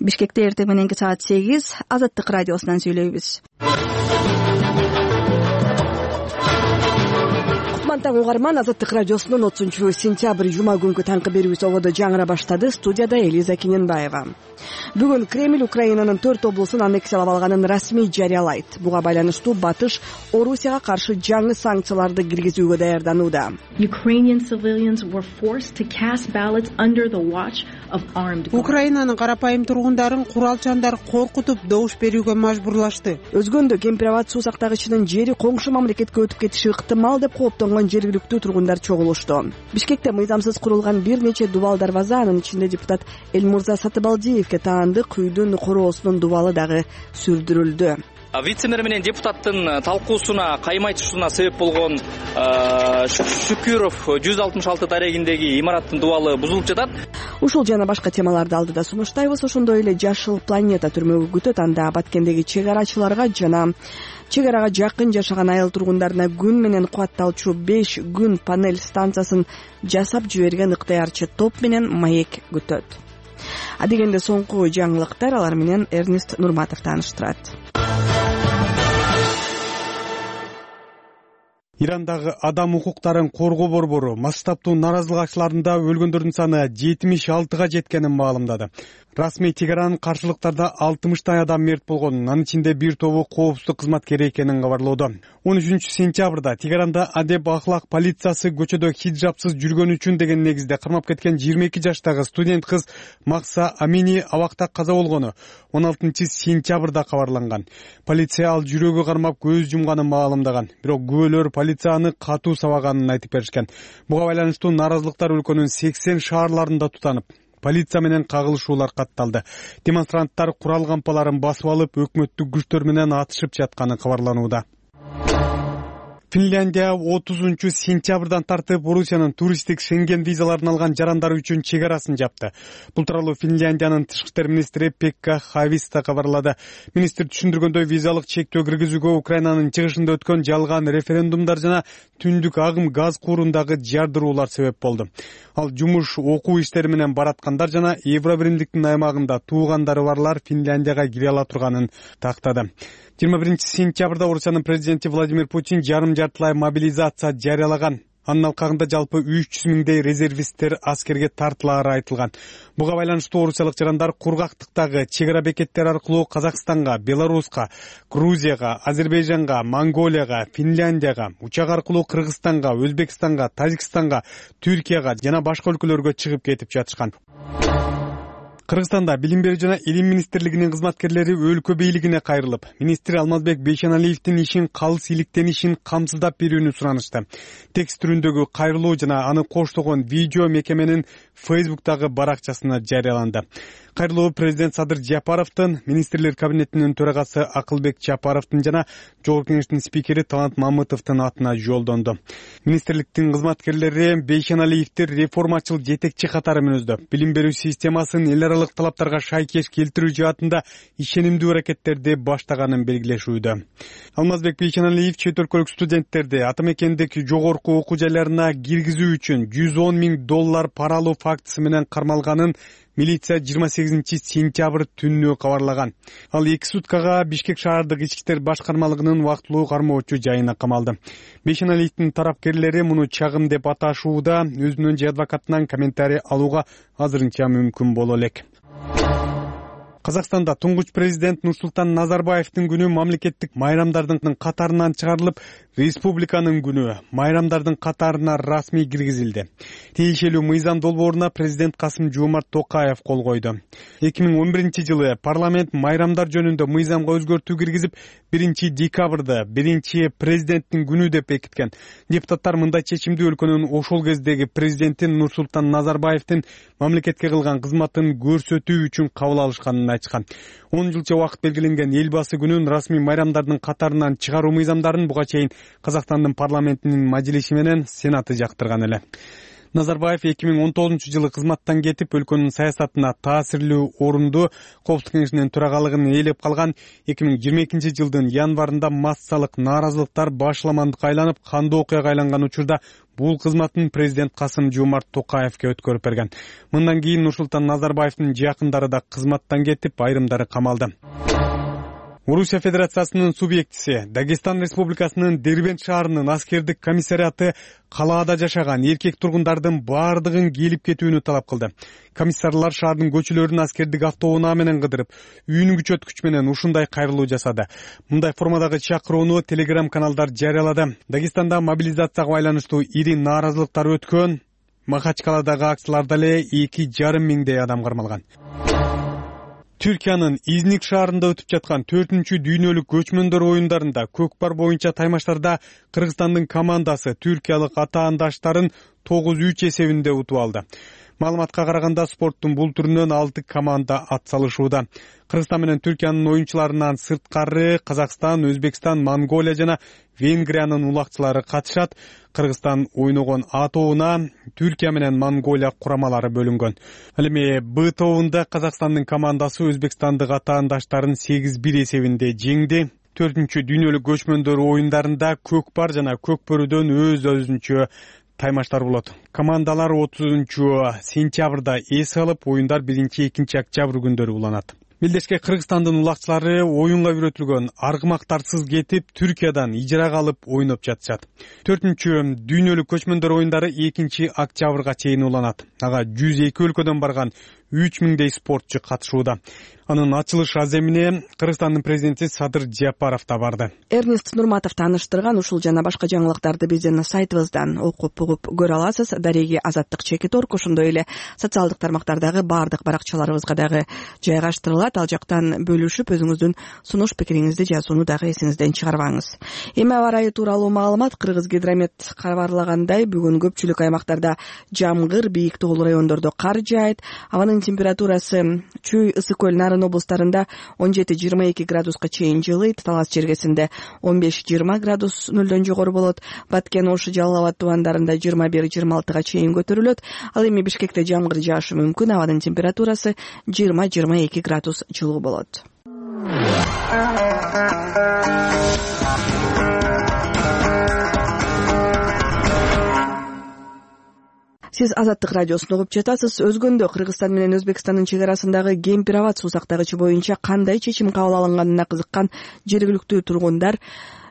Бишкекте эртең мененки саат 8 Азаттык радиосунан сүйлөйбүз. Кутман угарман, Азаттык радиосунун 30-сентябрь жума күнкү таңкы берүүбүз ободо жаңыра баштады. Студияда Элиза Кененбаева. Бүгүн Кремль Украинанын 4 облусун аннексиялап алганын расмий жарыялайт. Буга байланыштуу Батыш Орусияга каршы жаңы санкцияларды киргизүүгө даярданууда. Украинанын карапайым тургундарын куралчандар коркутуп добуш берүүгө мажбурлашты. Өзгөндө Кемпир-Абад суу сактагычынын жери коңшу мамлекетке өтүп кетиши ыктымал деп кооптонгон жергиликтүү тургундар чогулушту. Бишкекте мыйзамсыз курулган бир нече дубал дарбаза, анын ичинде депутат Элмурза Сатыбалдиевке таандык үйдүн короосунун дубалы дагы сүрдүрүлдү. Вице-мэр менен депутаттын талкуусуна каймайтышууна себеп болгон Шүкүров 166 дарегиндеги имараттын дубалы бузулуп жатат. Ушул жана башка темаларды алдыда сунуштайбыз. Ошондой эле Жашыл планета түрмөгү күтөт. Анда Баткендеги чек арачыларга жана чек арага жакын жашаган айыл тургундарына күн менен кубатталчу 5 күн панель станциясын жасап жиберген ыктыярчы топ менен маек күтөт. Адегенде соңку жаңылыктар, алар менен Эрнест Нурматов тааныштырат. Ирандагы адам укуктарын коргоо борбору масштабтуу наразылык акчыларында өлгөндөрдүн саны 76га жеткенин маалымдады. Расмий Тегеранын каршылыктарда 60 адам мерт болгон, анын ичинде бир тобу коопсуздук кызматкери экенин кабарлоодо. 13-сентябрда Тегеранда адеп ахлак полициясы көчөдө хиджабсыз жүргөн үчүн деген негизде кармап кеткен 22 жаштагы студент кыз Макса Амини абакта каза болгону 16-сентябрда кабарланган. Полиция ал жүрөгү кармап көз жумганын маалымдаган. Бирок күбөлөр полицияны катуу сабаганын айтып беришкен. Буга байланыштуу наразылыктар өлкөнүн 80 шаарларында тутанып, полиция менен кагылышуулар катталды. Демонстранттар курал кампаларын басып алып, өкмөттүк күчтөр менен атышып жатканы кабарланууда. Финляндия 30-сентябрдан тартып Орусиянын туристтик Шенген визаларын алган жарандар үчүн чек арасын жапты. Бул тууралуу Финляндиянын тышкы иштер министри Пекка Хависта кабарлады. Министр түшүндүргөндөй, визалык чектөө киргизүүгө Украинанын чыгышында өткөн жалган референдумдар жана түндүк агым газ куурундагы жардыруулар себеп болду. Ал жумуш, окуу иштери менен бараткандар жана Евробиримдиктин аймагында туугандары барлар Финляндияга кире ала турганын тактады. 21-сентябрда Орусиянын президенти Владимир Путин жарым жартылай мобилизация жарыялаган. Анын алкагында жалпы 300 миңдей резервисттер аскерге тартылаары айтылган. Буга байланыштуу орусиялык жарандар кургактыктагы чек ара бекеттери аркылуу Казакстанга, Беларуска, Грузияга, Азербайжанга, Монголияга, Финляндияга, учак аркылуу Кыргызстанга, Өзбекстанга, Тажикстанга, Түркияга жана башка өлкөлөргө чыгып кетип жатышкан. Кыргызстанда билим берүү жана илим министрлигинин кызматкерлери өлкө бийлигине кайрылып, министр Алмазбек Бейшеналиевдин ишин калыс иликтенишин камсыздап берүүнү суранышты. Текст түрүндөгү кайрылуу жана аны коштогон видео мекеменин Facebook'тагы баракчасына жарыяланды. Кайрылуу президент Садыр Жапаровдун, министрлер кабинетинин төрагасы Акылбек Жапаровдун жана Жогорку кеңештин спикери Талант Мамытовдун атына жолдонду. Министрликтин кызматкерлери Бейшеналиевди реформачыл жетекчи катары мүнөздөп, билим берүү системасын эл аралык талаптарга шайкеш келтирүү жаатында ишенимдүү аракеттерди баштаганын белгилешүүдө. Алмазбек Бейшеналиев чет өлкөлүк студенттерди ата мекендеги жогорку окуу жайларына киргизүү үчүн $110 миң пара алуу фактысы менен кармалганын милиция 28-сентябрь түнү кабарлаган. Ал 2 суткага Бишкек шаардык ички иштер башкармалыгынын вактылуу кармоочу жайына камалды. Бейшеналиевдин тарапкерлери муну чагым деп аташууда, өзүнүн же адвокатынан комментарий алууга азырынча мүмкүн боло элек. Казакстанда туңгуч президент Нурсултан Назарбаевдин күнү мамлекеттик майрамдардын катарынан чыгарылып, республиканын күнү майрамдардын катарына расмий киргизилди. Тиешелүү мыйзам долбооруна президент Касым-Жомарт Токаев кол койду. 2011-жылы парламент майрамдар жөнүндө мыйзамга өзгөртүү киргизип, 1-декабрда 1-президенттин күнү деп бекиткен. Депутаттар мындай чечимди өлкөнүн ошол кездеги президенти Нурсултан Назарбаевдин мамлекетке кылган кызматын көрсөтүү үчүн кабыл алышканын айтышкан. 10 жылча убакыт белгиленген элбасы күнүн расмий майрамдардын катарынан чыгаруу мыйзамдарын буга чейин Казакстандын парламентинин мажлиси менен сенаты жактырган эле. Назарбаев 2019-жылы кызматтан кетип, өлкөнүн саясатына таасирлүү орунду Коопсуздук кеңешинин төрагалыгын ээлеп калган 2022-жылдын январында массалык нааразылыктар башламандыкка айланып, кандуу окуяга айланган учурда бул кызматын президент Касым-Жомарт Токаевке өткөрүп берген. Мындан кийин Нурсултан Назарбаевдин жакындары да кызматтан кетип, айрымдары камалды. Орусия Федерациясынын субъектиси Дагестан Республикасынын Дербент шаарынын аскердик комиссариаты калаада жашаган эркек тургундардын баардыгын келип кетүүнү талап кылды. Комиссарлар шаардын көчөлөрүн аскердик автоунаа менен кыдырып, үйүн күчөткүч менен ушундай кайрылуу жасады. Мындай формадагы чакырууну телеграм-каналдар жарыялады. Дагестанда мобилизацияга байланыштуу ири нааразылыктар өткөн. Махачкаладагы акцияларда эле 2,5 миңдей адам кармалган. Түркиянын Изник шаарында өтүп жаткан 4-чү дүйнөлүк көчмөндөр оюндарында көкпар боюнча таймаштарда Кыргызстандын командасы түркиялык атаандаштарын 9-3 эсебинде утуп алды. Маалыматка караганда спорттун бул түрүнөн 6 команда атсалышууда. Кыргызстан менен Түркиянын оюнчуларынан сырткары Казакстан, Өзбекстан, Монголия жана Венгриянын улакчылары катышат. Кыргызстан ойногон А тобуна Түркия менен Монголия курамалары бөлүнгөн. Ал эми Б тобунда Казакстандын командасы Өзбекстандык атаандаштарын 8-1 эсебинде жеңди. 4-чү дүйнөлүк көчмөндөр оюндарында көкпар жана көкбөрүдөн өз-өзүнчө таймаштар болот. Командалар 30 сентябрда эс алып, оюндар 1-2 октябрь күндөрү уланат. Мелдешке Кыргызстандын улакчылары оюнга үйрөтүлгөн аргымактарсыз кетип, Түркиядан ижарага алып ойноп жатышат. 4-чү дүйнөлүк көчмөндөр оюндары 2 октябрга чейин уланат. Ага 102 өлкөдөн барган 3000дей спортчу катышууда. Анын ачылыш аземине Кыргызстандын президенти Садыр Жапаров да барды. Эрнест Нурматов тааныштырган ушул жана башка жаңылыктарды биздин сайтыбыздан окуп угуп көрө аласыз. Дареги Азаттык Чекит.орг, ошондой эле социалдык тармактардагы баардык баракчаларыбызга дагы жайгаштырылат. Ал жактан бөлүшүп, өзүңүздүн сунуш пикириңизди жазууну дагы эсиңизден чыгарбаңыз. Эми аба ырайы тууралуу маалымат. Кыргыз гидромет кабарлагандай, бүгүн көпчүлүк аймактарда жамгыр, бийик тоолуу райондордо кар жаайт. Абанын температурасы Чүй, Ысык көл, Нарын облустарында 17-22 градуска чейин жылыйт. Талас чергесинде 15-20 градус нөлдөн жогору болот. Баткен, Ош, Жалал Абад тубандарында 21-26 чейин көтөрүлөт. Ал эми Бишкекте жамгыр жаашы мүмкүн. Абанын температурасы 20-22 градус жылуу болот. Сиз Азаттык радиосун угуп жатасыз. Өзгөндө Кыргызстан менен Өзбекстандын чек арасындагы Кемпир-Абад суу сактагычы боюнча кандай чечим кабыл алынганына кызыккан жергиликтүү тургундар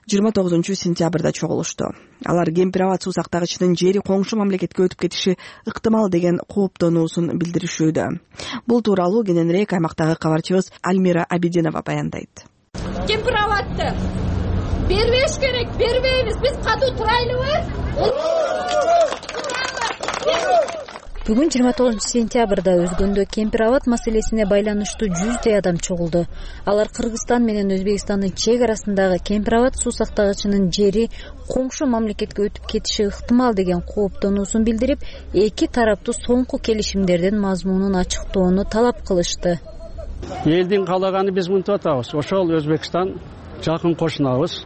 29 сентябрда чогулушту. Алар Кемпир-Абад суу сактагычынын жери коңшу мамлекетке өтүп кетиши ыктымал деген кооптонуусун билдиришүүдө. Бул тууралуу кененирээк аймактагы кабарчыбыз Альмира Абидинова баяндайт. Кемпир-Абадты бербеш керек, бербейбиз. Биз катуу турайлыбыз. Бүгүн 29 сентябрда Өзгөндө Кемпир-Абад маселесине байланыштуу 100дей адам чогулду. Алар Кыргызстан менен Өзбекстандын чек арасындагы Кемпир-Абад суу сактагычынын жери коңшу мамлекетке өтүп кетиши ыктымал деген кооптонуусун билдирип, эки тараптуу соңку келишимдердин мазмунун ачыктоону талап кылышты. Элдин каалаганы биз мынтип атабыз. Ошол Өзбекстан жакын кошунабыз.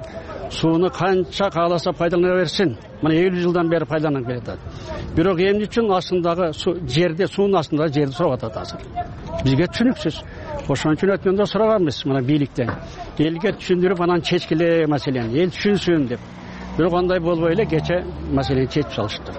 Сууну канча кааласа пайдалана берсин. Мына 50 жылдан бери пайдаланып келатат. Бирок эмне үчүн астындагы жерде, суунун астындагы жерди сурап атат азыр. Бизге түшүнүксүз. Ошон үчүн өткөндө сураганбыз мына бийликтен. Элге түшүндүрүп анан чечкиле маселени, эл түшүнсүн деп. Бирок андай болбой эле кече маселени чечип салышты.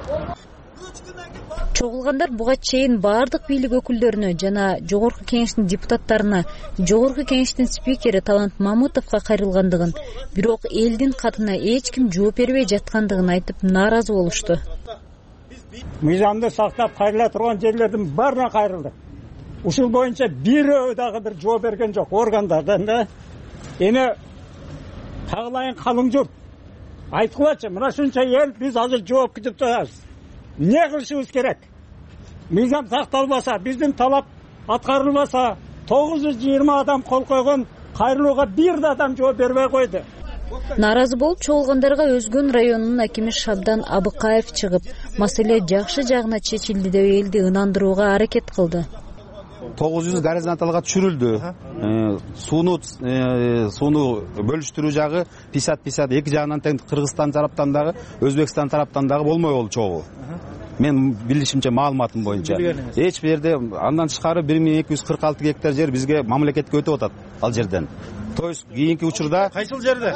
Чогулгандар буга чейин баардык бийлик өкүлдөрүнө жана Жогорку кеңештин депутаттарына, Жогорку кеңештин спикери Талант Мамытовго кайрылгандыгын, бирок элдин катына эч ким жооп бербей жаткандыгын айтып нааразы болушту. Мыйзамды сактап кайрыла турган жерлердин баарына кайрылды. Ушул боюнча бирөө дагы бир жооп берген жок органдардан да. Эми тагылайын калың журт айткылачы, мына ушунча эл биз азыр жооп күтүп турабыз. Не кылышыбыз керек? Мыйзам сакталбаса, биздин талап аткарылбаса, 920 адам кол койгон кайрылууга бир да адам жооп бербей койду. Нааразы болуп чогулгандарга Өзгөн районунун акими Шабдан Абыкаев чыгып, маселе жакшы жагына чечилди деп элди ынандырууга аракет кылды. 900 горизонталга түшүрүлдү. Сууну бөлүштүрүү жагы 50-50 эки жагынан тең Кыргызстан тараптан дагы, Өзбекстан тараптан дагы болмой болду чогуу. мен билишимче маалыматым боюнча эч бир жерде андан тышкары 1246 гектар жер бизге мамлекетке өтүп атат ал жерден. То есть кийинки учурда кайсыл жерде?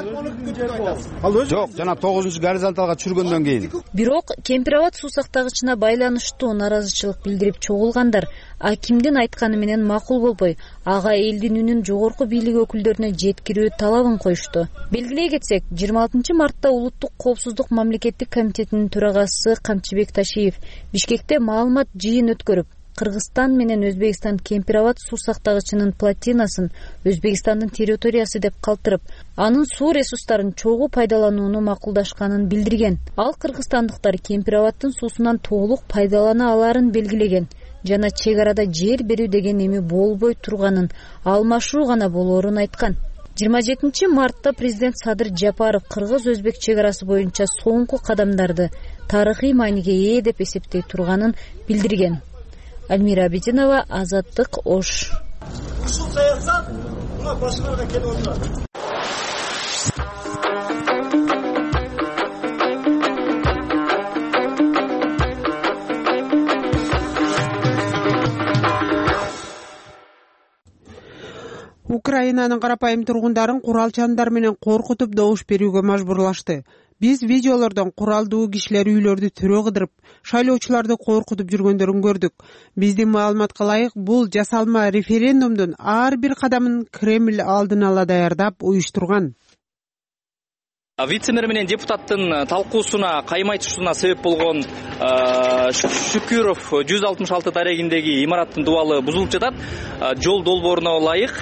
Жок, жана 9-горизонталга түшүргөндөн кийин. Бирок Кемпир Абад суу сактагычына байланыштуу наразычылык билдирип чогулгандар акимдин айтканы менен макул болбой, ага элдин үнүн жогорку бийлик өкүлдөрүнө жеткирүү талабын коюшту. Белгилей кетсек, 26 мартта Улуттук коопсуздук мамлекеттик комитетинин төрагасы Камчыбек Ташиев Бишкекте маалымат жыйын өткөрүп, Кыргызстан менен Өзбекстан Кемпир Абад суу сактагычынын плотинасын Өзбекстандын территориясы деп калтырып, анын суу ресурстарын чогуу пайдаланууну макулдашканын билдирген. Ал кыргызстандыктар Кемпир Абадтын суусунан толук пайдалана аларын белгилеген жана чек арада жер берүү деген эми болбой турганын, алмашуу гана болоорун айткан. 27 мартта президент Садыр Жапаров кыргыз-өзбек чек арасы боюнча соңку кадамдарды тарыхый мааниге ээ деп эсептей турганын билдирген. Альмира Абидинова, Азаттык, Ош. Ушул саясат мына башкарга келип отурат. Украинанын карапайым тургундарын куралчандар менен коркутуп добуш берүүгө мажбурлашты. Биз видеолордон куралдуу кишилер үйлөрдү түрө кыдырып, шайлоочуларды коркутуп жүргөндөрүн көрдүк. Биздин маалыматка ылайык, бул жасалма референдумдун ар бир кадамын Кремль алдын ала даярдап уюштурган. Вице-мэр менен депутаттын талкуусуна каймай түшүүнүна себеп болгон Шүкүров 166 дарегиндеги имараттын дубалы бузулуп жатат. Жол долбооруна ылайык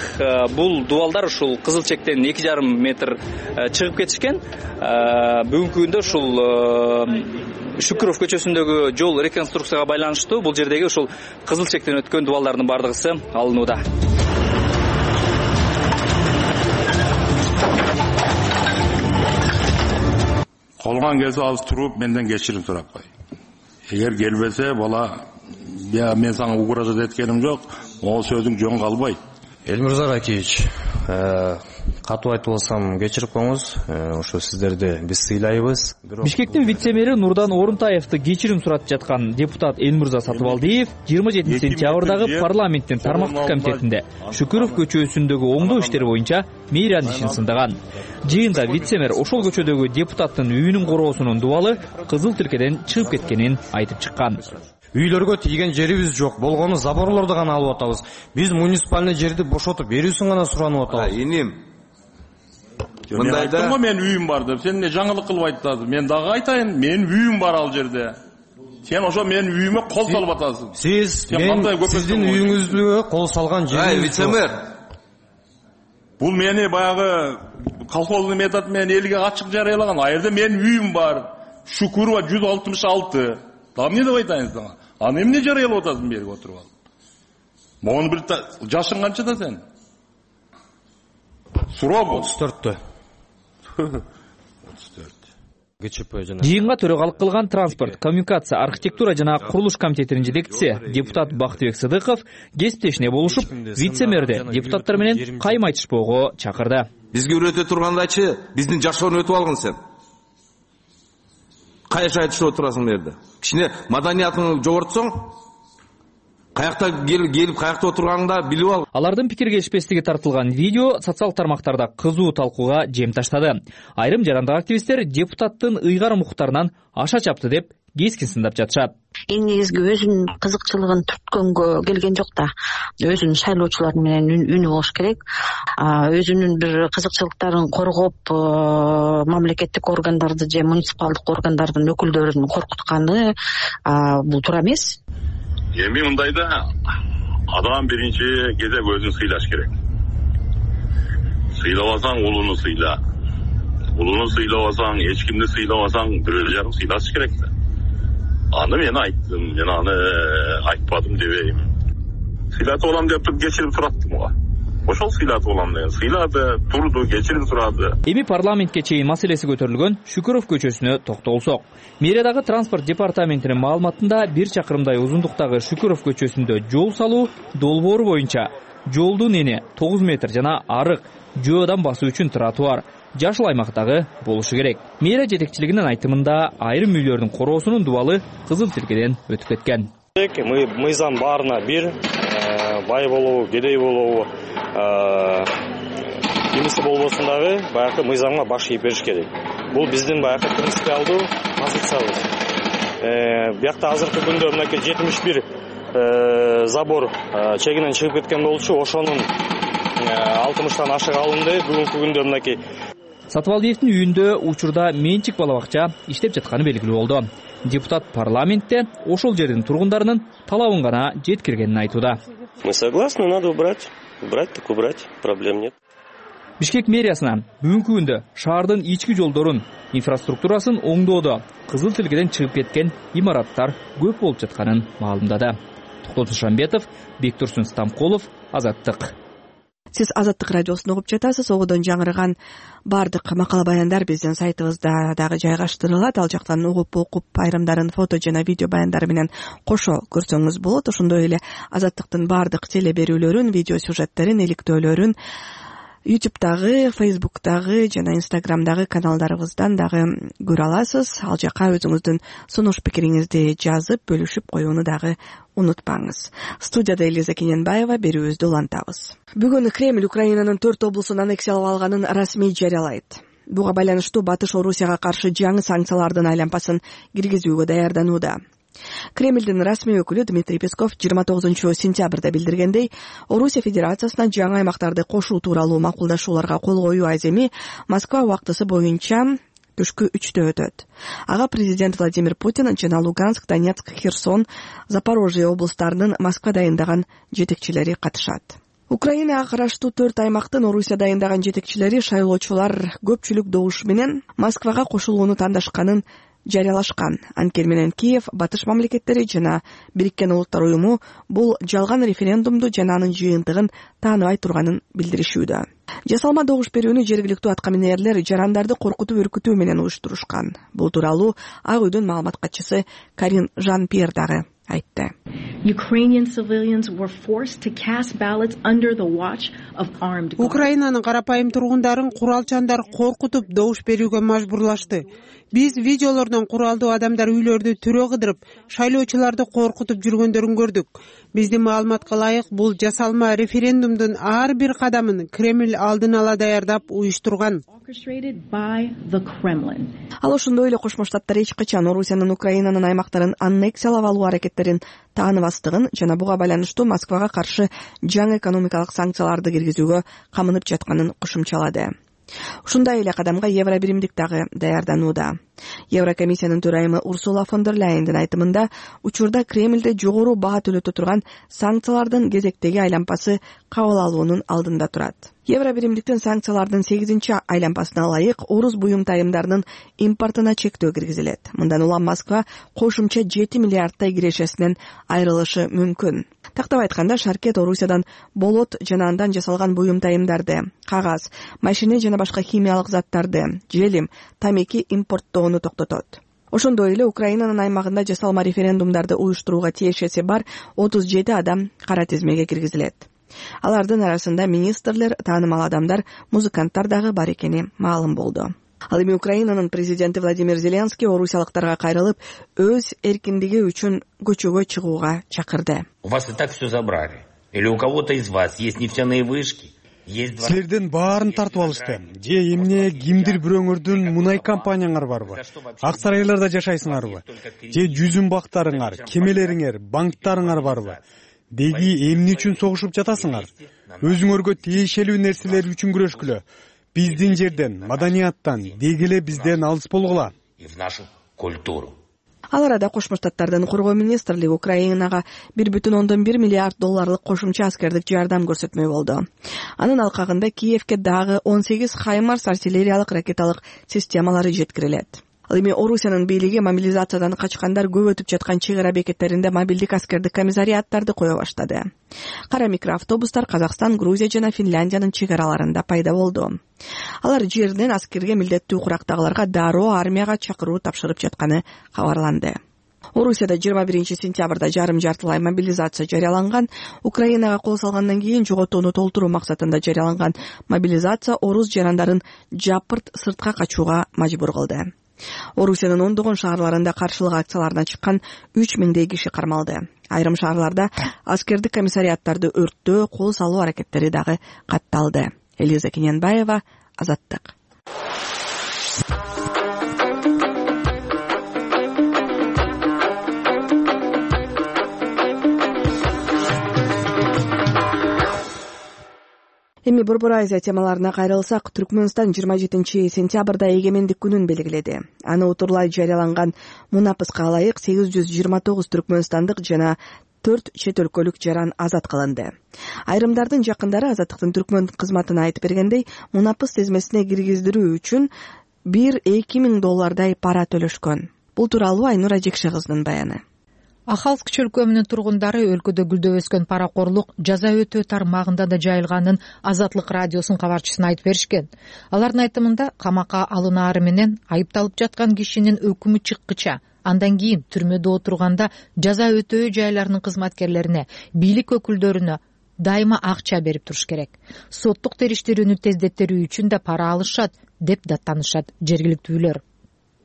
бул дубалдар ушул кызыл чектен 2,5 метр чыгып кетишкен. Бүгүнкү күндө ушул Шүкүров көчөсүндөгү жол реконструкцияга байланыштуу бул жердеги ушул кызыл чектен өткөн дубалдардын бардыгысы алынууда. Колгон кезде азыр туруп менден кечирим сурап кой. Эгер келбесе бала мен сага угроза эткеним жок, могу сөзүң жөн калбайт. Элмирза Ракиевич, катуу айтып алсам кечирип коюңуз, ошо сиздерди биз сыйлайбыз. Бишкектин вице-мэри Нурдан Орунтаевди кечирим суратып жаткан депутат Элмирза Сатыбалдиев 27 сентябрдагы парламенттин тармактык комитетинде Шүкүров көчөсүндөгү оңдоо иштери боюнча мейран ишин сындаган. Жыйында вице-мэр ошол көчөдөгү депутаттын үйүнүн короосунун дубалы кызыл тилкеден чыгып кеткенин айтып чыккан. Үйлөргө тийген жерибиз жок, болгону заборлорду гана алып атабыз. Биз муниципальный жерди бошотуп берүүсүн гана суранып атабыз. Иним. Мындайда мен үйүм бар деп, сен эмне жаңылык кылып айтасың? Мен дагы айтайын, менин үйүм бар ал жерде. Сен ошо менин үйүмө кол салып атасың. Сиз сиздин үйүңүзгө кол салган жериңиз. Вице-мэр. Бул мени баягы колхоздун метод менен элге ачык жарыялаган. А жерде менин үйүм бар. Шүкүрова 166. Да эмне деп айтайын сага? Аны эмне жарыялап атасың берип отуруп ал? Могуну бир жашың канчада сен? Суроо бул 34. 34. Жыйынга төрөгалык кылган транспорт, коммуникация, архитектура жана курулуш комитетинин жетекчиси депутат Бактыбек Сыдыков кесиптешине болушуп, вице-мэрди депутаттар менен кайма айтышпоого чакырды. Бизге үйрөтө тургандачы биздин жашоону өтүп алгын сен. Кайша айтышып отурасың жерде. Кичине маданиятыңды жогортсоң, каякта келип каякта отурганыңда билип ал. Алардын пикир келишпестиги тартылган видео социал тармактарда кызуу талкууга жем таштады. Айрым жарандык активисттер депутаттын ыйгарым укуктарынан аша чапты деп кескин сындап жатышат. Эң негизги өзүнүн кызыкчылыгын түрткөнгө келген жок да. Өзүнүн шайлоочулары менен үнү болуш керек. Өзүнүн бир кызыкчылыктарын коргоп, мамлекеттик органдарды же муниципалдык органдардын өкүлдөрүн коркутканы бул туура эмес. Эми мындайда адам биринчи кезек өзүн сыйлаш керек. Сыйлабасаң улууну сыйла. Улууну сыйлабасаң, эч кимди сыйлабасаң, бирөө жарым сыйлаш керек да. Аны мен айттым, мен аны айтпадым дебейм. Сыйлатып алам деп кечирип сураттым го. Ошол сыйлатып алам деген. Сыйлады, турду, кечирип сурады. Эми парламентке чейин маселеси көтөрүлгөн Шүкүров көчөсүнө токтолсок. Мэриядагы транспорт департаментинин маалыматында 1 чакырымдай узундуктагы Шүкүров көчөсүндө жол салуу долбоору боюнча жолдун эни 9 метр жана арык, жөөдөн басуу үчүн тротуар, жашыл аймактагы болушу керек. Мэрия жетекчилигинин айтымында айрым үйлөрдүн короосунун дубалы кызыл тилкеден өтүп кеткен. Мыйзам баарына бир, бай болобу, кедей болобу, кимиси болбосун дагы баягы мыйзамга баш ийип бериш керек. Бул биздин баягы принципиалдуу позициябыз. Биякта азыркы күндө мынакей 71 забор чегинен чыгып кеткен болчу. Ошонун 60тан ашык алынды. Бүгүнкү күндө мынакей Сатыбалдиевдин үйүндө учурда менчик бала бакча иштеп жатканы белгилүү болду. Депутат парламентте ошол жердин тургундарынын талабын гана жеткиргенин айтууда. Мы согласны, надо убрать, так убрать, проблем нет. Бишкек мэриясына бүгүнкү күндө шаардын ички жолдорун, инфраструктурасын оңдоодо кызыл тилкеден чыгып кеткен имараттар көп болуп жатканын маалымдады. Токтот Шамбетов, Бектурсун Стамкулов, Азаттык. Сиз Азаттык радиосун угуп жатасыз. Огодон жаңырган бардык макала баяндар биздин сайтыбызда дагы жайгаштырылат. Ал жактан угуп окуп айрымдарын фото жана видео баяндары менен кошо көрсөңүз болот. Ошондой эле Азаттыктын бардык теле берүүлөрүн, видео сюжеттерин, иликтөөлөрүн YouTube'дагы, Facebook'дагы жана Instagram'дагы каналдарыбыздан дагы көрө аласыз. Ал жака өзүңүздүн сунуш пикириңизди жазып, бөлүшүп коюуну дагы унутпаңыз. Студияда Элиза Кененбаева, берүүбүздү улантабыз. Бүгүн Кремль Украинанын 4 облусун аннексиялап алганын расмий жарыялайт. Буга байланыштуу Батыш Орусияга каршы жаңы санкциялардын айлампасын киргизүүгө даярданууда. Кремльдин расмий өкүлү Дмитрий Песков 29-сентябрда билдиргендей, Орусия Федерациясына жаңы аймактарды кошуу тууралуу макулдашууларга кол коюу аземи Москва убактысы боюнча түшкү 3-тө өтөт. Ага президент Владимир Путин жана Луганск, Донецк, Херсон, Запорожье облустарынын Москва дайындаган жетекчилери катышат. Украинага караштуу 4 аймактын Орусия дайындаган жетекчилери шайлоочулар көпчүлүк добуш менен Москвага кошулууну тандашканын жарыялашкан. Анткени менен Киев, Батыш мамлекеттери жана Бириккен Улуттар уюму бул жалган референдумду жана анын жыйынтыгын тааныбай турганын билдиришүүдө. Жасалма добуш берүүнү жергиликтүү аткаминерлер жарандарды коркутуп үркүтүү менен уюштурушкан. Бул тууралуу Ак үйдүн маалымат катчысы Карин Жан-Пьер дагы айтты. Украинанын карапайым тургундарын куралчандар коркутуп добуш берүүгө мажбурлашты. Биз видеолордон куралдуу адамдар үйлөрдү түрө кыдырып, шайлоочуларды коркутуп жүргөндөрүн көрдүк. Биздин маалыматка ылайык, бул жасалма референдумдун ар бир кадамын Кремль алдын ала даярдап уюштурган. Ал ошондой эле Кошмо Штаттар эч качан Орусиянын Украинанын аймактарын аннексиялап алуу аракеттерин тааныбастыгын жана буга байланыштуу Москвага каршы жаңы экономикалык санкцияларды киргизүүгө камынып жатканын кошумчалады. Ушундай эле кадамга Евробиримдик дагы даярданууда. Еврокомиссиянын төрайымы Урсула фон дер Ляйендин айтымында, учурда Кремльде жогору баа төлөтө турган санкциялардын кезектеги айлампасы кабыл алуунун алдында турат. Евробиримдиктин санкциялардын 8-чи айлампасына ылайык орус буюм тайымдарынын импортуна чектөө киргизилет. Мындан улам Москва кошумча 7 миллиардтай кирешесинен айрылышы мүмкүн. Тактап айтканда, Шаркет Орусиядан болот жана андан жасалган буюм тайымдарды, кагаз, машине жана башка химиялык заттарды, желим, тамеки импорттоону токтотот. Ошондой эле Украинанын аймагында жасалма референдумдарды уюштурууга тиешеси бар 37 адам кара тизмеге киргизилет. Алардын арасында министрлер, таанымал адамдар, музыканттар дагы бар экени маалым болду. Ал эми Украинанын президенти Владимир Зеленский орусиялыктарга кайрылып, өз эркиндиги үчүн көчөгө чыгууга чакырды. У вас и так все забрали. Или у кого-то из вас есть нефтяные вышки? Силердин баарын тартып алышты. Же эмне кимдир бир өңөрдүн мунай компанияңар барбы? Ак сарайларда жашайсыңарбы? Же жүзүм бактарыңар, кемелериңер, банктарыңар барбы? Деги эмне үчүн согушуп жатасыңар? Өзүңөргө тиешелүү нерселер үчүн күрөшкүлө. Биздин жерден, маданияттан, деги эле бизден алыс болгула. И в нашу культуру. Ал арада Кошмо Штаттардын коргоо министрлиги Украинага 1,1 миллиард долларлык кошумча аскердик жардам көрсөтмөй болду. Анын алкагында Киевке дагы 18 Хаймарс артиллериялык ракеталык системалары жеткирилет. Ал эми Орусиянын бийлиги мобилизациядан качкандар көп өтүп жаткан чек ара бекеттеринде мобилдик аскердик комиссариаттарды кое баштады. Кара микроавтобустар Казакстан, Грузия жана Финляндиянын чек араларында пайда болду. Алар жерден аскерге милдеттүү курактагыларга дароо армияга чакыруу тапшырып жатканы кабарланды. Орусияда 21-сентябрда жарым-жартылай мобилизация жарыяланган. Украинага кол салгандан кийин жоготууну толтуруу максатында жарыяланган мобилизация орус жарандарын жапырт сыртка качууга мажбур кылды. Орусиянын ондогон шаарларында каршылык акцияларына чыккан 3000 киши кармалды. Айрым шаарларда аскердик комиссариаттарды өрттөө, кол салуу аракеттери дагы катталды. Элиза Кененбаева, Азаттык. Эми Борбор Азия темаларына кайрылсак, Түркмөнстан 27-сентябрда эгемендик күнүн белгиледи. Аны утурлай жарыяланган мунапыска ылайык 829 түркмөнстандык жана 4 чет өлкөлүк жаран азат кылынды. Айрымдардын жакындары Азаттыктын түркмөн кызматына айтып бергендей, мунапыс тизмесине киргиздирүү үчүн 1-2 миң доллардай пара төлөшкөн. Бул тууралуу Айнура Жекше кыздын баяны. Ахалск чөлкөмүнүн тургундары өлкөдө гүлдөп өскөн паракорлук жаза өтөө тармагында да жайылганын Азаттык радиосунун кабарчысына айтып беришкен. Алардын айтымында камакка алынаары менен айыпталып жаткан кишинин өкүмү чыккыча, андан кийин түрмөдө отурганда жаза өтөө жайларынын кызматкерлерине, бийлик өкүлдөрүнө дайыма акча берип туруш керек. Соттук териштирүүнү тездеттерүү үчүн да пара алышат деп даттанышат жергиликтүүлөр.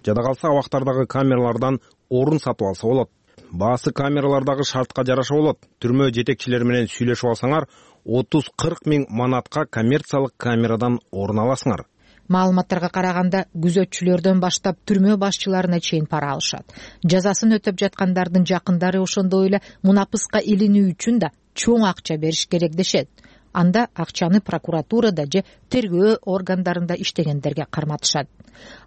Жада калса абактардагы камералардан орун сатып алса болот. Баасы камералардагы шартка жараша болот. Түрмө жетекчилери менен сүйлөшүп алсаңар, 30-40 миң манатка коммерциялык камерадан орун аласыңар. Маалыматтарга караганда, күзөтчүлөрдөн баштап түрмө башчыларына чейин пара алышат. Жазасын өтөп жаткандардын жакындары ошондой эле мунапыска илинүү үчүн да чоң акча бериш керек дешет. Анда акчаны прокуратурада же тергөө органдарында иштегендерге карматышат.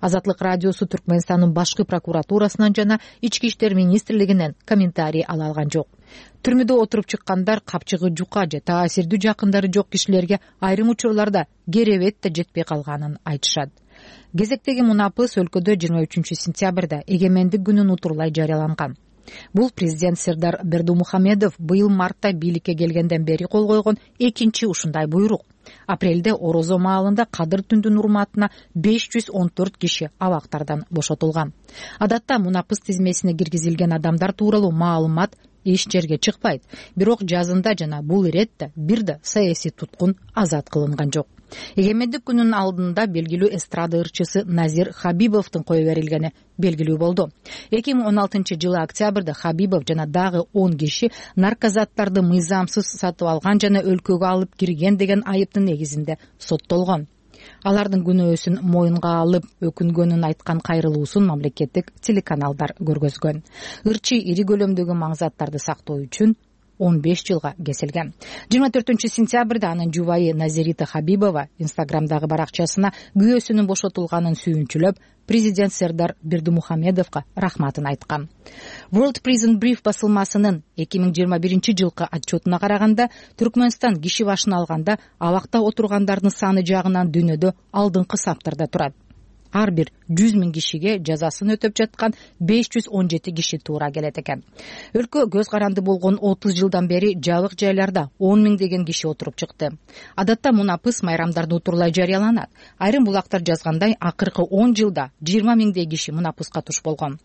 Азаттык радиосу Түркмөнстандын башкы прокуратурасынан жана Ички иштер министрлигинен комментарий ала алган жок. Түрмөдө отуруп чыккандар капчыгы жука же таасирдүү жакындары жок кишилерге айрым учурларда керебет да жетпей калганын айтышат. Кезектеги мунапыс өлкөдө 23-сентябрда эгемендик күнүн утурлай жарыяланган. Бул президент Сердар Бердумухамедов быйыл мартта бийликке келгенден бери кол койгон экинчи ушундай буйрук. Апрелде Орозо маалында Кадыр түндүн урматына 514 киши абактардан бошотулган. Адатта мунапыс тизмесине киргизилген адамдар тууралуу маалымат эч жерге чыкпайт. Бирок жазында жана бул иретте бир да саясий туткун азат кылынган жок. Эгемендик күнүнүн алдында белгилүү эстрада ырчысы Назир Хабибовдун кое берилгени белгилүү болду. 2016 жылы октябрда Хабибов жана дагы 10 киши наркозаттарды мыйзамсыз сатып алган жана өлкөгө алып кирген деген айыптын негизинде соттолгон. Алардын күнөөсүн моюнга алып, өкүнгөнүн айткан кайрылуусун мамлекеттик телеканалдар көргөзгөн. Ырчы ири көлөмдөгү маңзаттарды сактоо үчүн 15 жылга кесилген. 24-сентябрда анын жубайы Назирита Хабибова Инстаграмдагы баракчасына күйөөсүнүн бошотулганын сүйүнчүлөп, президент Сердар Бердумухамедовго рахматын айткан. World Prison Brief басылмасынын 2021 жылкы отчетуна караганда, Түркмөнстан киши башына алганда абакта отургандардын саны жагынан дүйнөдө алдыңкы саптарда турат. Ар бир 100 миң кишиге жазасын өтөп жаткан 517 киши туура келет экен. Өлкө көз каранды болгон 30 жылдан бери жабык жайларда 10 миңдеген киши отуруп чыкты. Адатта мунапыс майрамдарды утурлай жарыяланат. Айрым булактар жазгандай, акыркы 10 жылда 20 миңдей киши мунапыска туш болгон.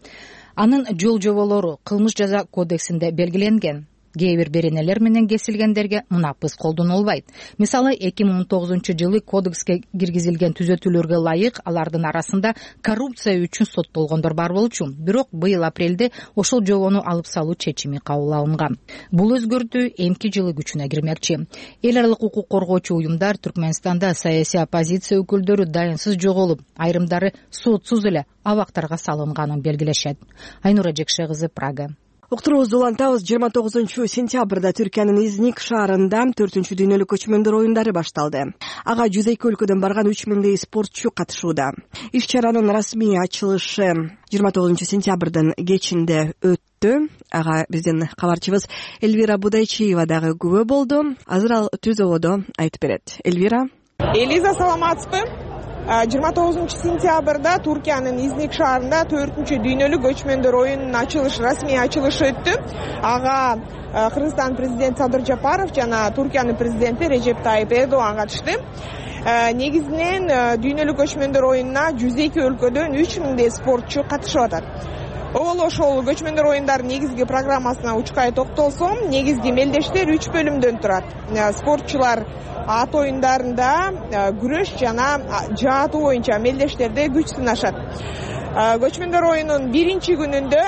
Анын жол жоболору кылмыш жаза кодексинде белгиленген. Кээ бир беренелер менен кесилгендерге мунапыс колдонулбайт. Мисалы 2019 жылы кодекске киргизилген түзөтүүлөргө ылайык алардын арасында коррупция үчүн соттолгондор бар болчу. Бирок быйыл апрелде ошол жобону алып салуу чечими кабыл алынган. Бул өзгөртүү эмки жылы күчүнө кирмекчи. Эл аралык укук коргоочу уюмдар Түркмөнстанда саясий оппозиция өкүлдөрү дайынсыз жоголуп, айрымдары сотсуз эле абактарга салынганын белгилешет. Айнура Жекше кызы, Прага. Уктуруубузду улантабыз. 29-сентябрда Түркиянын Изник шаарында 4-чү дүйнөлүк көчмөндөр оюндары башталды. Ага 102 өлкөдөн барган 3000 спортчу катышууда. Иш-чаранын расмий ачылышы 29-сентябрдын кечинде өттү. Ага биздин кабарчыбыз Эльвира Будайчиева дагы күбө болду. Азыр ал түз ободо айтып берет. Эльвира. Элиза, саламатсызбы? 29-сентябрда Түркиянын Изник шаарында 4-чү дүйнөлүк көчмөндөр оюнунун расмий ачылышы өттү. Ага Кыргызстан президенти Садыр Жапаров жана Түркиянын президенти Режеп Тайип Эрдоган катышты. Негизинен дүйнөлүк көчмөндөр оюнуна 102 өлкөдөн 3000 спортчу катышып атат. Обол ошол көчмөндөр оюндарынын негизги программасына учкай токтолсом, негизги мелдештер 3 бөлүмдөн турат. Спортчулар ат оюндарында күрөш жана жаатуу боюнча мелдештерде күч сынашат. Көчмөндөр оюнунун биринчи күнүндө